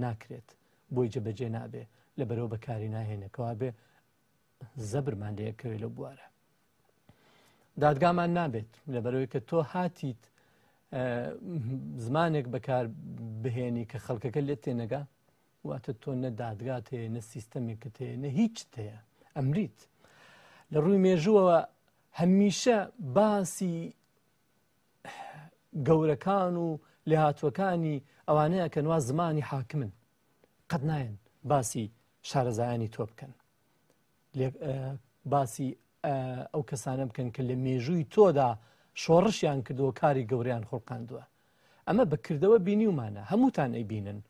ناکرێت، بۆی جێبەجێ نابێ، لەبەرەوە بەکاری ناهێنێکەوە بێ زەبرمان لێکەوێ لەو بوارە. دادگامان نابێت، لەبەرەوەی کە تۆ هاتیت زمانێک بەکار بهێنی کە خەڵکەکە لێت تێنەگا، واتە تۆ نە دادگات هەیە، نە سیستەمێکت هەیە، نە هیچت هەیە، ئەمریت. لە ڕووی مێژووەوە هەمیشە باسی گەورەکان و لێهاتوەکانی ئەوانەیە کە نوا زمانی حاکمن، قەت نایەن باسی شارەزایانی تۆ بکەن، باسی ئەو کەسانە بکەن کە لە مێژووی تۆدا شۆڕشیان کردووە، کاری گەورەیان خوڵقاندووە. ئەمە بەکردەوە بینیومانە، هەمووتان ئەیبینن.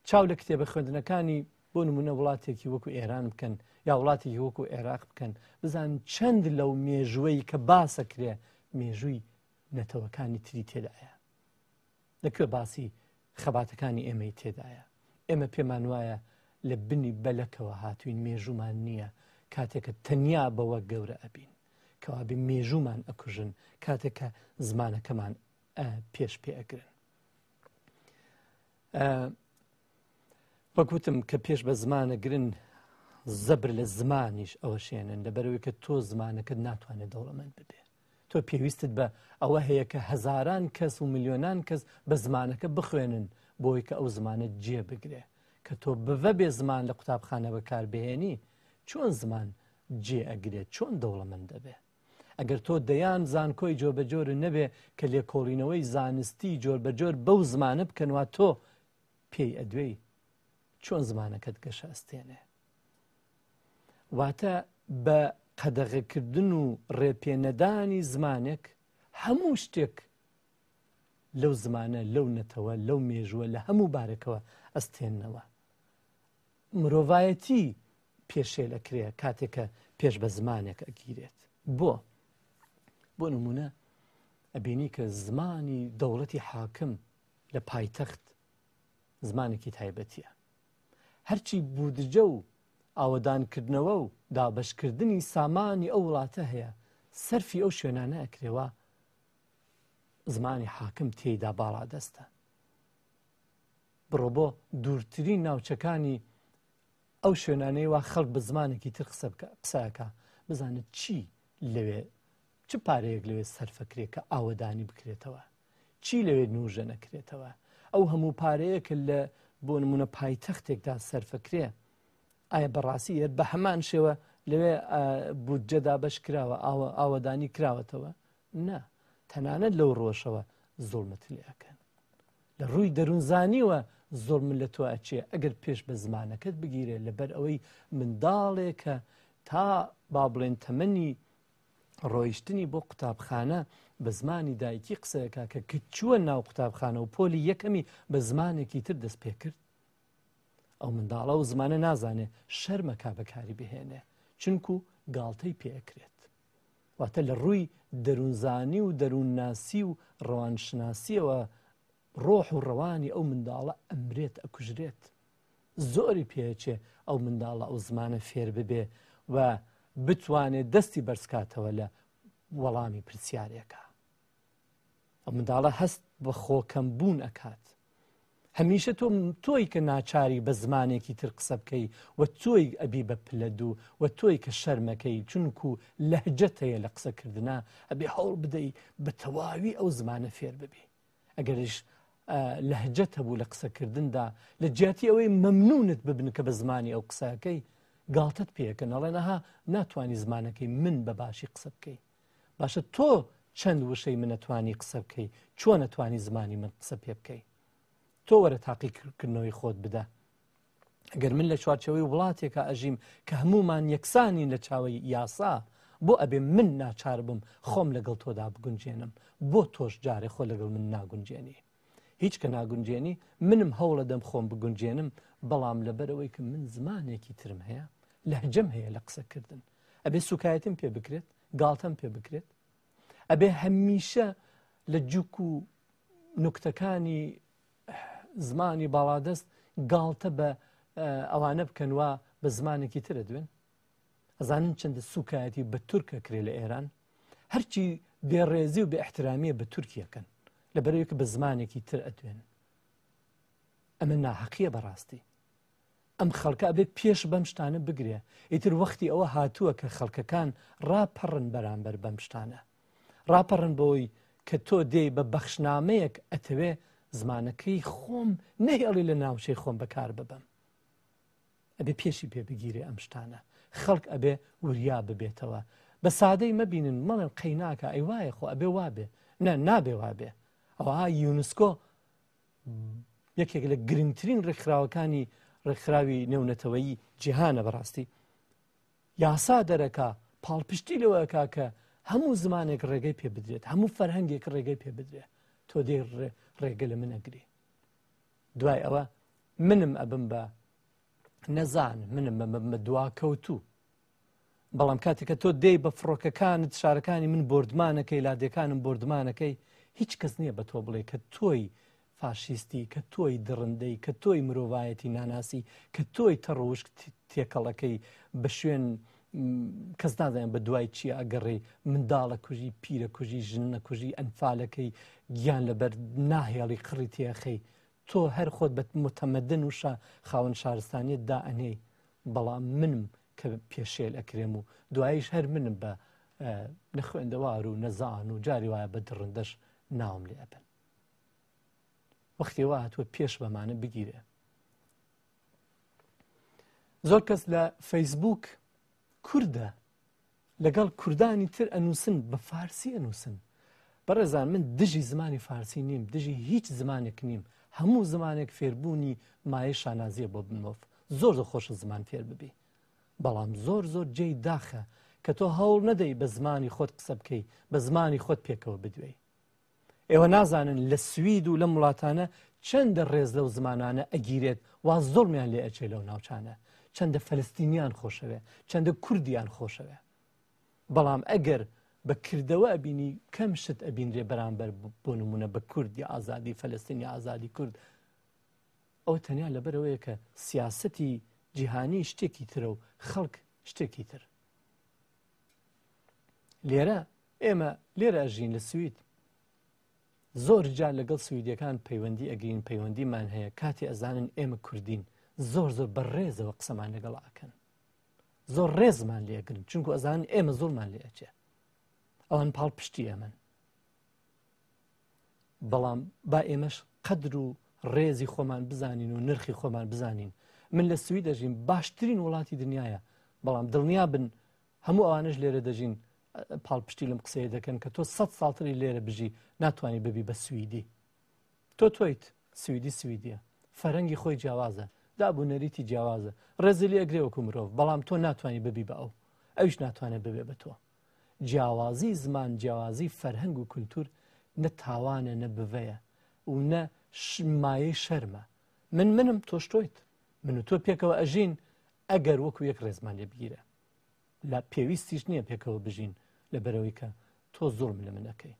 چاو لە کتێبە خوێندنەکانی بۆ نمونە وڵاتێکی وەکو ئێران بکەن یا وڵاتێکی وەکو عێراق بکەن، بزان چەند لەو مێژوەی کە باسەکرێ مێژووی نەتەوەکانی تری تێدایە، لەکوێ باسی خەباتەکانی ئێمەی تێدایە. ئێمە پێمان وایە لە بنی بەلەکەوە هاتوین، مێژوومان نییە، کاتێکە تەنیا بەوە گەورە ئەبین، کەوابێ مێژوومان ئەکوژن کاتێکە زمانەکەمان پێش پێ ئەگرن. وەک وتم کە پێش بە زمانە گرن زەبر لە زمانیش ئەوەشێنن، لەبەرەوەی کە تۆ زمانەکەت ناتوانێت دەوڵەمەند ببێ. تۆ پێویستت بە ئەوە هەیە کە هەزاران کەس و ملیۆنان کەس بە زمانەکە بخوێنن بۆی کە ئەو زمانە جێ بگرێ. کە تۆ بڤە بێ زمان لە قوتابخانە بەکاربهێنی، چۆن زمان جێ ئەگرێت، چۆن دەوڵەمەند دەبێ؟ ئەگەر تۆ دەیان زانکۆی جۆربەجۆر نەبێ کە لێکۆڵینەوەی زانستی جۆربەجۆر بەو زمانە بکەنوا تۆ پێی ئەدوێی، چۆن زمانەکەت گەشە ئەستێنێ؟ واتە بە قەدەغەکردن و ڕێپێنەدانی زمانێک هەموو شتێک لەو زمانە، لەو نەتەوە، لەو مێژووە، لە هەموو بارێکەوە ئەستێننەوە. مرۆڤایەتی پێشێل ئەکرێ کاتێکە پێش بە زمانێک ئەگیرێت. بۆ بۆ نمونە ئەبینی کە زمانی دەوڵەتی حاکم لە پایتەخت زمانێکی تایبەتیە. هەرچی بودجە و ئاوەدانکردنەوە و دابەشکردنی سامانی ئەو وڵاتە هەیە، سەرفی ئەو شوێنانە ئەکرێوە زمانی حاکم تێیدا باڵادەستە. بڕۆ بۆ دوورترین ناوچەکانی ئەو شوێنانەی وا خەڵک بە زمانێکی تر قسەکە، بزانێت چی لەوێ، چ پارەیەک لەوێ سەرفەکرێ کە ئاوەدانی بکرێتەوە، چی لەوێ نوژە نەکرێتەوە. ئەو هەموو پارەیە کە لە بۆ نمونە پایتەختێکدا سەرفەکرێ، ئایا بەڕاستی هەر بە هەمان شێوە لەوێ بودجەدا بەش کراوە، ئاوەدانی کراوەتەوە؟ نا، تەنانەت لەو ڕۆژەوە زوڵمت لێ ئەکەن. لە ڕووی دەروونزانیوە زۆر من لە تۆ ئەچێ ئەگەر پێش بە زمانەکەت بگیرێ لەبەر ئەوەی منداڵێکە تا با بڵێن تەمەنی ڕۆیشتنی بۆ قوتابخانە بە زمانی دایکی قسەیەکە کە کچووە ناو قوتابخانە و پۆلی یەکەمی بە زمانێکی تر دەست پێ کرد، ئەو منداڵە و زمانە نازانێ شەرمەکا بەکاری بهێنێ، چونکو گاڵتەی پێئەکرێت. واتە لە ڕووی دەروونزانی و دەروونناسی و ڕەوانشناسیەوە ڕۆح و ڕەوانی ئەو منداڵە ئەمرێت، ئەکوژرێت. زۆری پێچێ ئەو منداڵە ئەو زمانە فێر ببێ و بتوانێت دەستی بەرزکاتەوە لە وەڵامی پرسیارێکە. ئەو منداڵە هەست بە خۆکەم بوون ئەکات. هەمیشە تۆ تۆی کە ناچاری بە زمانێکی تر قسە بکەی و تۆی ئەبی بە پلە دوو و تۆی کە شەرمەکەی، چونکو لەهجەت هەیە لە قسەکردنا، ئەبێ هەوڵ بدەی بە تەواوی ئەو زمانە فێر ببی. ئەگەریش لەهجەت هەبوو لە قسەکردندا، لە جیاتی ئەوەی مەمنونت ببن کە بە زمانی ئەو قسەکەی گاڵتەت پێەکەن، ئەڵێن ئەها ناتوانی زمانەکەی من بە باشی قسە بکەی. باشە تۆ چەند وشەی منەتوانی قسە بکەی، چۆن ئەتوانی زمانی من قسە پێ بکەی؟ تۆ وەرە تاقیکردنەوەی خۆت بدە. ئەگەر من لە چوارچەوەی وڵاتێکە ئەژیم کە هەمومان یەکسانین لە چاوەی یاسا، بۆ ئەبێ من ناچار بم خۆم لەگەڵ تۆدا بگونجێنم، بۆ تۆش جارێ خۆ لەگەڵ من ناگونجێنی. هیچ کە ناگونجێنی منم هەوڵە دەم خۆم بگونجێنم، بەڵام لەبەرەوەی کە من زمانێکی ترم هەیە، لەهجەم هەیە لە قسەکردن، ئەبێ سوکایەتیم پێ بکرێت، گاڵتەم پێ بکرێت، ئەبێ هەمیشە لە جوک و نوکتەکانی زمانی باڵادەست گاڵتە بە ئەوانە بکەن وا بە زمانێکی ترە دوێن. ئەزانن چەندە سوکایەتی بە تورکە کرێ لە ئێران، هەرچی بێڕێزی و بێاحترامیە بە تورکیەکەن لەبەرەوەی کە بە زمانێکی تر ئەدوێن. ئەمە ناحەقیە بەڕاستی. ئەم خەڵکە ئەبێ پێش بەم شتانە بگرێ. ئیتر وەختی ئەوە هاتووە کە خەڵکەکان ڕاپەڕن بەرامبەر بەم شتانە، ڕاپەڕن بۆی کە تۆ دێی بە بەخشنامەیەک ئەتەوێ زمانەکەی خۆم نەهێڵی لە ناوچەی خۆم بەکار ببەم. ئەبێ پێشی پێ بگیرێ ئەم شتانە. خەڵک ئەبێ وریا ببێتەوە. بە سادەی مەبینن مەڵێن قەیناکە ئەی وایە خۆ ئەبێ وابێ، نە نابێ وابێ. ئەوها یونسکۆ یەکێک لە گرنگترین ڕێکخراوەکانی ڕێکخراوی نێونەتەوەیی جیهانە بەڕاستی یاسا دەرەکا پاڵپشتی لەوەکا کە هەموو زمانێک ڕێگەی پێ بدرێت، هەموو فەرهەنگێک ڕێگەی پێ بدرێت. تۆ دێ ڕێگە لە من ئەگری. دوای ئەوە منم ئەبم بە نەزان، منم ئەبم بە دواکەوتوو. بەڵام کاتێک کە تۆ دێی بە فڕۆکەکانت شارەکانی من بۆردمانەکەی، لادێکانم بۆردمانەکەی، هیچ کەس نییە بە تۆ بڵێ کە تۆی فاشیستی، کە تۆی دڕندەی، کە تۆی مرۆڤایەتی ناناسی، کە تۆی تەڕوشک تێکەڵەکەی بە شوێن کەس نازانێت بە دوای چییە ئەگەڕێی، منداڵە کوژی، پیرە کوژی، ژنە کوژی، ئەنفالەکەی گیان لەبەر ناهێڵی قڕی تێخەی. تۆ هەر خۆت بە متەمەدن و خاوەن شارستانیت دائەنێی، بەڵام منم کە پێشێل ئەکرێم و دواییش هەر منم بە نەخوێندەوار و نەزان و جاری وایە بە دڕندەش ناوم لێ ئەبن. وەختی وا هاتووە پێش بەمانە بگیرێ. زۆر کەس لە فەیسبوک کوردە لەگەڵ کوردانی تر ئەنووسن، بە فارسی ئەنووسن. بەڕێزان من دژی زمانی فارسی نیم، دژی هیچ زمانێک نیم. هەموو زمانێک فێربوونی مایە شانازیە بۆ بمۆف. زۆر زۆر خۆشە زمان فێر ببی، بەڵام زۆر زۆر جێی داخە کە تۆ هەوڵ نەدەی بە زمانی خۆت قسە بکەی، بە زمانی خۆت پێکەوە بدوێی. ئێوە نازانن لە سوید و لەم وڵاتانە چەندە ڕێز لەو زمانانە ئەگیرێت وا زۆڵمیان لێ ئەچێ لەو ناوچانە، چەندە فەلەستینیان خۆشەوێ، چەندە کوردیان خۆشەوێ. بەڵام ئەگەر بە کردەوە ئەبینی کەم شت ئەبینرێ بەرامبەر بۆ نمونە بە کوردی ئازادی فەلەستین یا ئازادی کورد، ئەو تەنیا لەبەرەوەیە کە سیاسەتی جیهانی شتێکی ترە و خەڵک شتێکی تر. لێرە ئێمە لێرە ئەژین لە سوید، زۆر جار لەگەڵ سویدیەکان پەیوەندی ئەگرین، پەیوەندیمان هەیە. کاتێ ئەزانن ئێمە کوردین زۆر زۆر بەڕێزەوە قسەمان لەگەڵ ئەکەن، زۆر ڕێزمان لێگرن، چونکو ئەزانن ئێمە زۆرمان لێ ئەچێ، ئەوان پاڵپشتی ئێمەن. بەڵام با ئێمەش قەدر و ڕێزی خۆمان بزانین و نرخی خۆمان بزانین. من لە سوید دەژیم، باشترین وڵاتی دنیاە، بەڵام دڵنیا بن هەموو ئەوانش لێرە دەژین پاڵپشتی لەم قسەیە دەکەن کە تۆ سەد ساڵتری لێرە بژی ناتوانانی ببی بە سویدی. تۆ تۆیت سویدی سویدیە، فەرەنگی خۆی جیاوازە، دابوو نەریتی جیاوازە، ڕێزی لێ ئەگرێ وەکو مرۆڤ، بەڵام تۆ ناتوانانی ببی بە ئەو، ئەویش ناتوانێت ببێ بە تۆ. جیاوازی زمان، جیاوازی فەرهەنگ و کولتور نە تاوانە نە بڤەیە و نە مایەی شەرمە. من منم، تۆش تۆیت، من و تۆ پێکەوە ئەژین ئەگەر وەکو یەک ڕێزمان لێ بگیرە. لە پێویستیش نییە پێکەوە بژین لەبەرەوەی کە تۆ زوڵم لە من ئەکەی.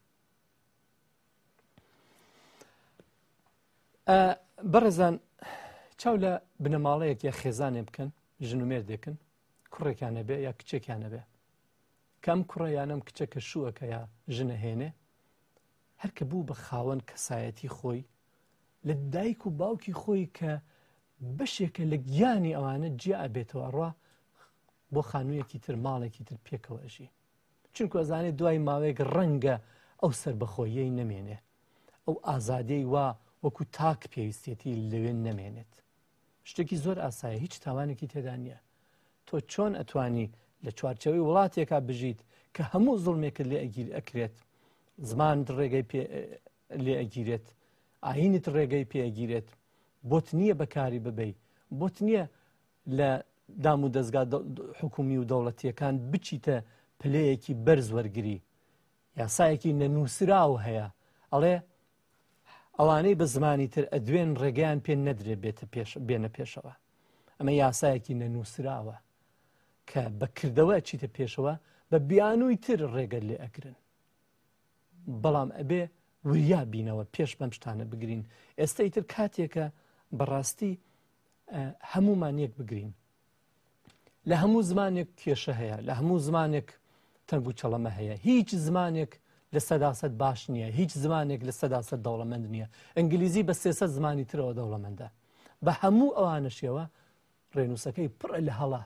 بەڕێزان چاو لە بنەماڵەیەک یا خێزانێ بکەن، ژن و مێردێکن، کوڕێکیان نەبێ یا کچێکیان نەبێ، کەم کوڕە یانم کچەکە شووەکە یا ژنە هێنێ، هەر کە بوو بە خاوەن کەسایەتی خۆی لە دایک و باوکی خۆی کە بەشێکە لە گیانی ئەوانە جیا ئەبێتەوە ئەڕوا بۆ خانوویەکی تر، ماڵێکی تر پێکەوە ئەژی. چونکە ئەزانێت دوای ماوەیەک ڕەنگە ئەو سەربەخۆیەی نەمێنێ، ئەو ئازادیەی وا وەکو تاک پێویستێتی لەوێ نەمێنێت. شتێکی زۆر ئاسایە، هیچ تاوانێکی تێدا نییە. تۆ چۆن ئەتوانی لە چوارچەوەی وڵاتێکا بژیت کە هەموو زوڵمێکت لێ ئەگیر ئەکرێت، زمانت ڕێگەی لێ ئەگیرێت، ئاینت ڕێگەی پێ ئەگیرێت، بۆت نییە بەکاری ببەی، بۆت نییە لە دام و دەستگا حکومی و دەوڵەتیەکان بچیتە پلەیەکی بەرز وەرگری. یاسایەکی نەنووسراو هەیە ئەڵێ ئەوانەی بە زمانی تر ئەدوێن ڕێگەیان پێ نەدرێ بێنە پێشەوە. ئەمە یاسایەکی نەنووسراوە کە بەکردەوە چیتە پێشەوە بە بیانووی تر ڕێگەت لێ ئەگرن. بەڵام ئەبێ وریا بینەوە پێش بەم شتانە بگرین. ئێستا ئیتر کاتێکە بەڕاستی هەمومان یەک بگرین. لە هەموو زمانێک کێشە هەیە، لە هەموو زمانێک تەنگ و چەڵەمە هەیە. هیچ زمانێک لە سەداسەد باش نییە، هیچ زمانێک لە سەداسەد دەوڵەمەند نییە. ئینگلیزی بە سێسەد زمانی ترەوە دەوڵەمەندە. بە هەموو ئەوانەشیەوە ڕێنووسەکەی پڕە لە هەڵە،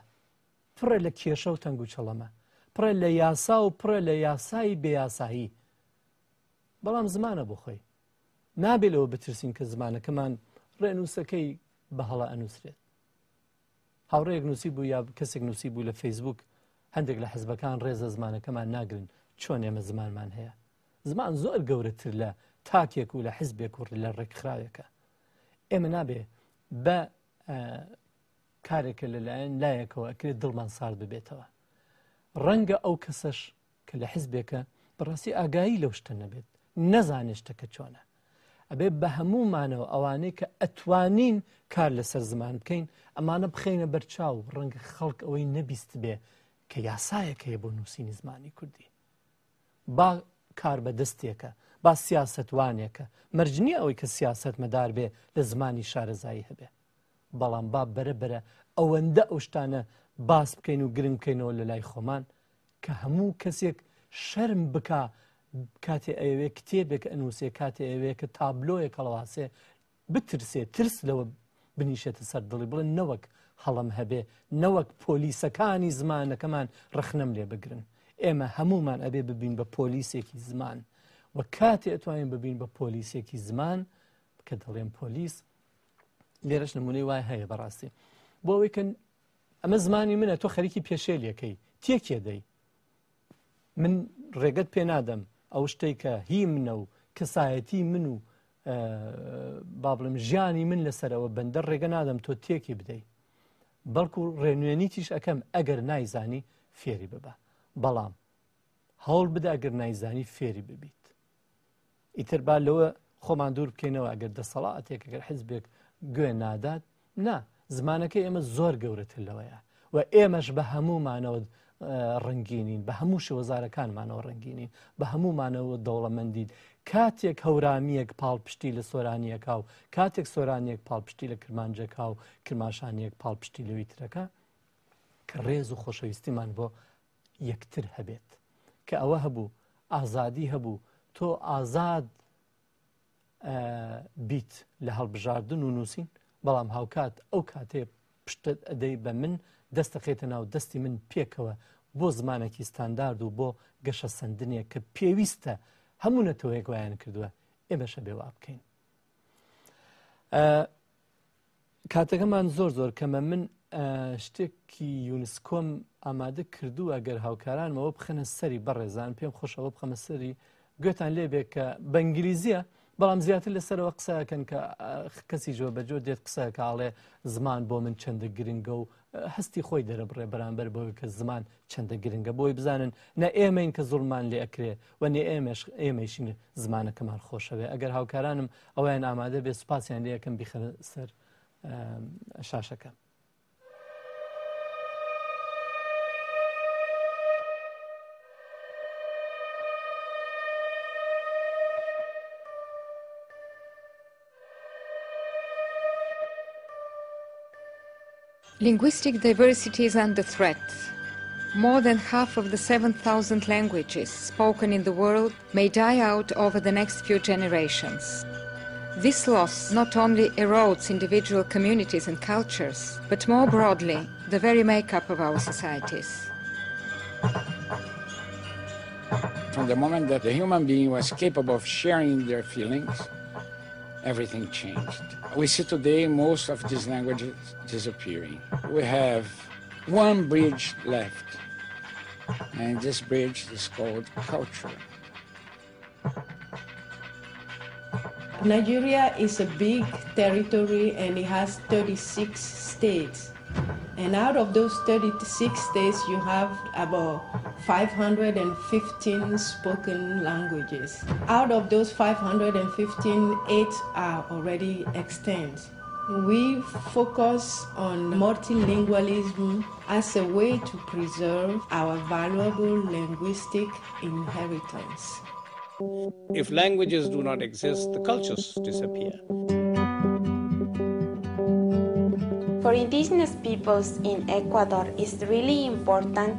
پڕە لە کێشە و تەنگ و چەڵەمە، پڕە لە یاسا و پڕە لە یاسایی بێیاسایی. بەڵام زمانە بۆ خۆی نابێ لەوە بترسین کە زمانەکەمان ڕێنووسەکەی بە هەڵە ئەنووسرێت. هاوڕێیەک نووسی بوو یا کەسێک نووسی بوو لە فەیسبوک هەندێک لە حزبەکان ڕێزە زمانەکەمان ناگرن، چۆن ئێمە زمانمان هەیە. زمان زۆر گەورەتر لە تاکێک و لە حزبێک و لە ڕێکخراوێکە. ئێمە نابێ بە کارێکە لەلایەن لایەکەوە ئەکرێت دڵمان سارد ببێتەوە. ڕەنگە ئەو کەسەش کە لە حزبێکە بەڕاستی ئاگایی لەو شتە نەبێت، نەزانێت شتەکە چۆنە. ئەبێ بە هەموومانەوە ئەوانەی کە ئەتوانین کار لەسەر زمان بکەین ئەمانە بخەینە بەرچاو. ڕەنگە خەڵک ئەوەی نەبیست بێ کە یاسایەک هەیە بۆ نووسینی زمانی کوردی. با کار بە دەستێکە، با سیاسەتوانێکە، مەرج نییە ئەوەی کە سیاسەت مەدار بێ لە زمانی شارەزایی هەبێ، بەڵام با بەرە بەرە ئەوەندە ئەو شتانە باس بکەین و گرنگ بکەینەوە لە لای خۆمان کە هەموو کەسێک شەرم بکا کاتێ ئەوێ کتێبێک ئەنووسێ، کاتێ ئەوێ کە تابلۆیەک هەڵواسێ، بترسێ، ترس لەوە بنیشێتە سەر دڵی، بڵێ نەوەک هەڵم هەبێ، نەوەک پۆلیسەکانی زمانەکەمان ڕەخنەم لێ بگرن. ئێمە هەمومان ئەبێ ببین بە پۆلیسێکی زمان و کاتێ ئەتوانین ببین بە پۆلیسێکی زمان کە دەڵێن پۆلیس، لێرەش نمونەی وای هەیە بەڕاستی. بۆ ئەوەی کە ئەمە زمانی منە، تۆ خەریکی پێشێلەکەی تێکێ دەی، من ڕێگەت پێ نادەم ئەو شتێک کە هی منە و کەسایەتی من و با بڵێم ژیانی من لەسەرەوە بەندەر ڕێگە نادەم تۆ تێکی بدەی، بەڵکو ڕێنوێنیتیش ئەەکەم ئەگەر نایزانی فێری ببە. بەڵام هەوڵ بدە ئەگەر نایزانی فێری ببیت. ئیتر با لەوە خۆمان دوور بکەینەوە ئەگەر دەسەڵاتێک ئەگەر حزبێک گوێ نادات، نا، زمانەکەی ئێمە زۆر گەورەتر لەوەیە و ئێمەش بە هەموومانەوە ڕەنگینین، بە هەموو شێوەزارەکانمانەوە ڕەنگینین، بە هەموومانەوە دەوڵەمەندین. کاتێک هەورامیەک پاڵپشتی لە سۆرانیەکە و کاتێک سۆرانیەک پاڵپشتی لە کرمانجەکە و کرماشانیەک پاڵپشتی لەوی ترەکە، کە ڕێز و خۆشەویستیمان بۆ یەکتر هەبێت. کە ئەوە هەبوو، ئازادی هەبوو، تۆ ئازاد بیت لە هەڵبژاردن و نووسین، بەڵام هاوکات ئەو کاتێ پشتت ئەدەی بە من، دەستەخێتە ناو دەستی من پێکەوە بۆ زمانێکی ستاندارد و بۆ گەشەسەندنێک کە پێویستە هەموو نەتەوەیەک وایان کردووە، ئێمەشە بێ وا بکەین. کاتەکەمان زۆر زۆر کەمە. من شتێکی یونسکۆم ئامادە کردووە ئەگەر هاوکارانمەوە بخەنە سەری بەڕێزان، پێم خۆشەوە بخەمە سەری، گوێتان لێبێ کە بە ئینگلیزیە، بەڵام زیاتر لەسەرەوە قسەکەن کە کەسی جۆ بەجۆر دێت قسەکە ئاڵێ زمان بۆ من چەندە گرنگە و هەستی خۆی دەرەبڕێ بەرامبەر بۆی کە زمان چەندە گرنگە بۆی بزانن نە ئێمەین کە زوڵمان لێ ئەکرێ و نە ئێمەش ئێمەیشین زمانەکەمان خۆشەوێ. ئەگەر هاوکارانم ئەویان ئامادە بێ سوپاسیان لێ یەکەم بیخەنە سەر شاشەکە. Linguistic diversity is under threat. More than half of the seven thousand languages spoken in the world may die out over the next few generations. This loss not only erodes individual communities and cultures, but more broadly, the very makeup of our societies. From the moment that the human being was capable of sharing their feelings, everything changed. We see today most of these languages disappearing. We have one bridge left, and this bridge is called culture. Nigeria is a big territory and it has thirty-six states. And out of those thirty-six states, you have about five hundred fifteen spoken languages. Out of those five hundred fifteen, eight are already extinct. We focus on multilingualism as a way to preserve our valuable linguistic inheritance. If languages do not exist, the cultures disappear. For indigenous peoples in Ecuador, it's really important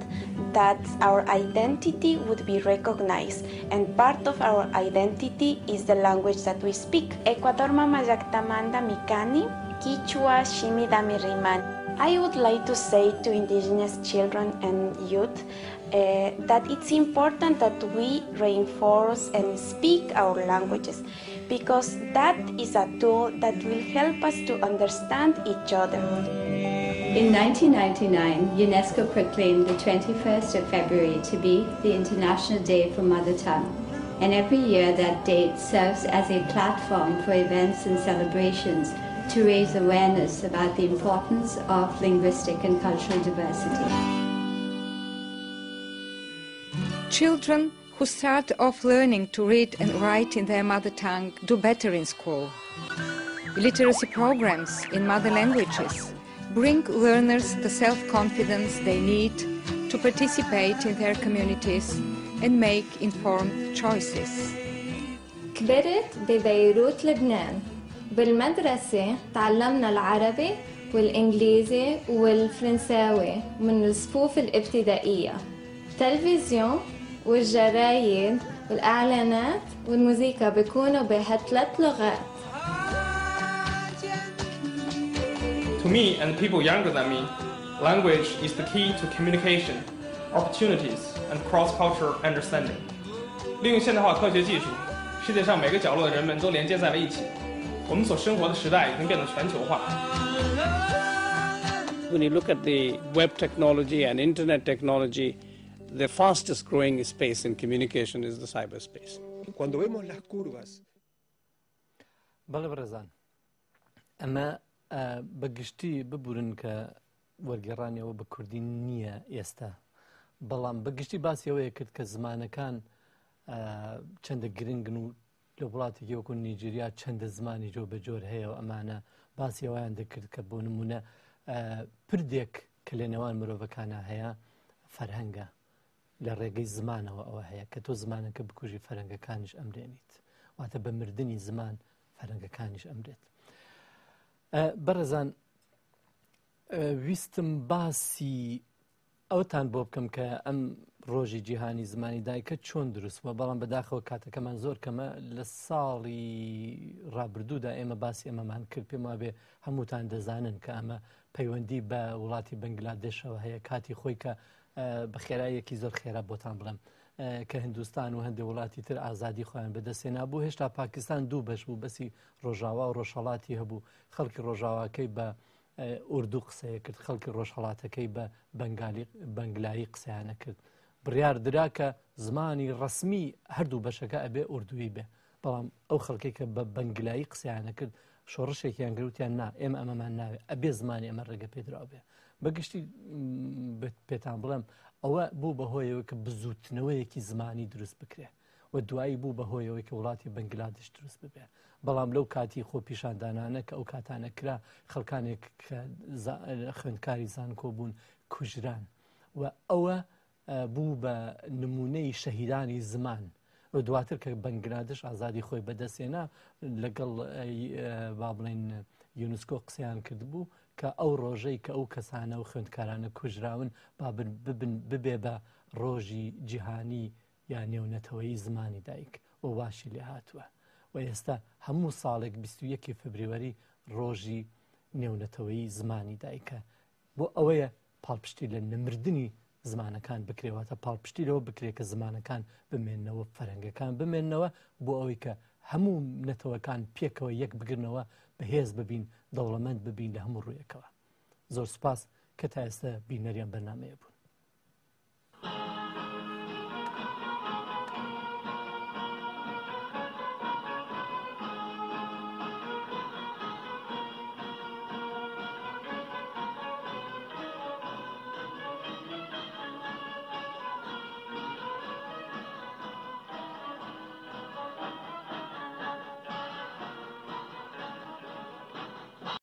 that our identity would be recognized, and part of our identity is the language that we speak. Ecuador mama llaqtamanta mikani, Quichua shimi dami riman. I would like to say to indigenous children and youth uh, that it's important that we reinforce and speak our languages, because that is a tool that will help us to understand each other. In nineteen ninety-nine, UNESCO proclaimed the twenty-first of February to be the International Day for Mother Tongue. And every year that date serves as a platform for events and celebrations to raise awareness about the importance of linguistic and cultural diversity. Children who start off learning to read and write in their mother tongue do better in school. Literacy programs in mother languages bring learners the self-confidence they need to participate in their communities and make informed choices. كبرت ببيروت لبنان. بالمدرسة تعلمنا العربي والإنجليزي والفرنساوي من الصفوف الابتدائية. التلفزيون والجرايد والإعلانات والموسيقى بيكونوا بهالثلاث لغات. To me and people younger than me, language is the key to communication, opportunities, and cross-cultural understanding. 利用现代化科学技术，世界上每个角落的人们都连接在了一起。我们所生活的时代已经变得全球化。When you look at the web technology and internet technology, the fastest growing space in communication is the cyberspace. Cuando vemos las curvas. بەڵێ بەڕێزان، ئەمە بەگشتی ببورن کە وەرگێڕانیەوە بە کوردی نییە ئێستا، بەڵام بەگشتی باسی ئەوەیە کرد کە زمانەکان چەندە گرنگن و لە وڵاتێکی وەکو نیجیریا چەندە زمانی جۆ بەجۆر هەیە و ئەمانە باسی ئەوەیان دەکرد کە بۆ نمونە پردێک کە لە نێوان مرۆڤەکانە هەیە فەرهەنگە، لە ڕێگەی زمانەوە ئەوە هەیە کە تۆ زمانەکە بکوژی فەرهەنگەکانیش ئەمرێنیت، واتە بە مردنی زمان فەرهەنگەکانیش ئەمرێت. بەڕێزان ویستم باسی ئەوتان بۆ بکەم کە ئەم ڕۆژی جیهانی زمانی دایکە چۆن دروست بووە، بەڵام بەداخەوە کاتەکەمان زۆر کەمە. لە ساڵی ڕابردوودا ئێمە باسی ئەمەمان کرد، پێم وابێ هەمووتان دەزانن کە ئەمە پەیوەندی بە وڵاتی بەنگلادێشەوە هەیە. کاتی خۆی کە بە خێراییەکی زۆر خێرا بۆتان بڵێم کە هندوستان و هەندێک وڵاتی تر ئازادی خۆیان بەدەستێنا بوو، هێشتا پاکستان دوو بەش بوو، بەسی ڕۆژاوا و ڕۆژهەڵاتی هەبوو. خەڵکی ڕۆژاواکەی بە ئوردو قسەیە کرد، خەڵکی ڕۆژهەڵاتەکەی بە بەنگلایی قسەیانە کرد. بڕیار درا کە زمانی ڕەسمی هەردوو بەشەکە ئەبێ ئوردووی بێ، بەڵام ئەو خەڵکێک کە بە بەنگلایی قسەیانە کرد شۆڕشێکیان گرتیان نا ئێمە ئەمەمان ناوێت ئەبێ زمانی ئەمە ڕێگە پێدراو بێ. بەگشتی پێتان بڵێم ئەوە بوو بەهۆیەوە کە بزوتنەوەیەکی زمانی دروست بکرێ و دوایی بوو بەهۆیەوەی کە وڵاتی بەنگلادش دروست ببێ. بەڵام لەو کاتی خۆپیشاندانانە کە ئەو کاتانە کرا خەڵکانێک کە خوێندکاری زانکۆ بوون کوژران و ئەوە بوو بە نمونەی شەهیدانی زمان. و دواتر کە بەنگلادش ئازادی خۆی بەدەستێنا لەگەڵ با بڵێن یونسکۆ قسەیان کردبوو کە ئەو ڕۆژەی کە ئەو کەسانە و خوێندکارانە کوژراون با ببێ بە ڕۆژی جیهانی یا نێونەتەوەی زمانی دایک و واشی لێ هاتووە. و ئێستا هەموو ساڵێک بیست و یەکی فبریوەری ڕۆژی نێونەتەوەی زمانی دایکە بۆ ئەوەیە پاڵپشتی لە نەمردنی زمانەکان بکرێواتە پاڵپشتی لەوە بکرێت کە زمانەکان بمێننەوە، فەرەنگەکان بمێننەوە بۆ ئەوەی کە هەموو نەتەوەکان پێکەوە یەک بگرنەوە، بەهێز ببین، دەوڵەمەند ببین لە هەموو ڕوویەکەوە. زۆر سوپاس کە تا ئێستا بینەریان بەرنامەیە بوون.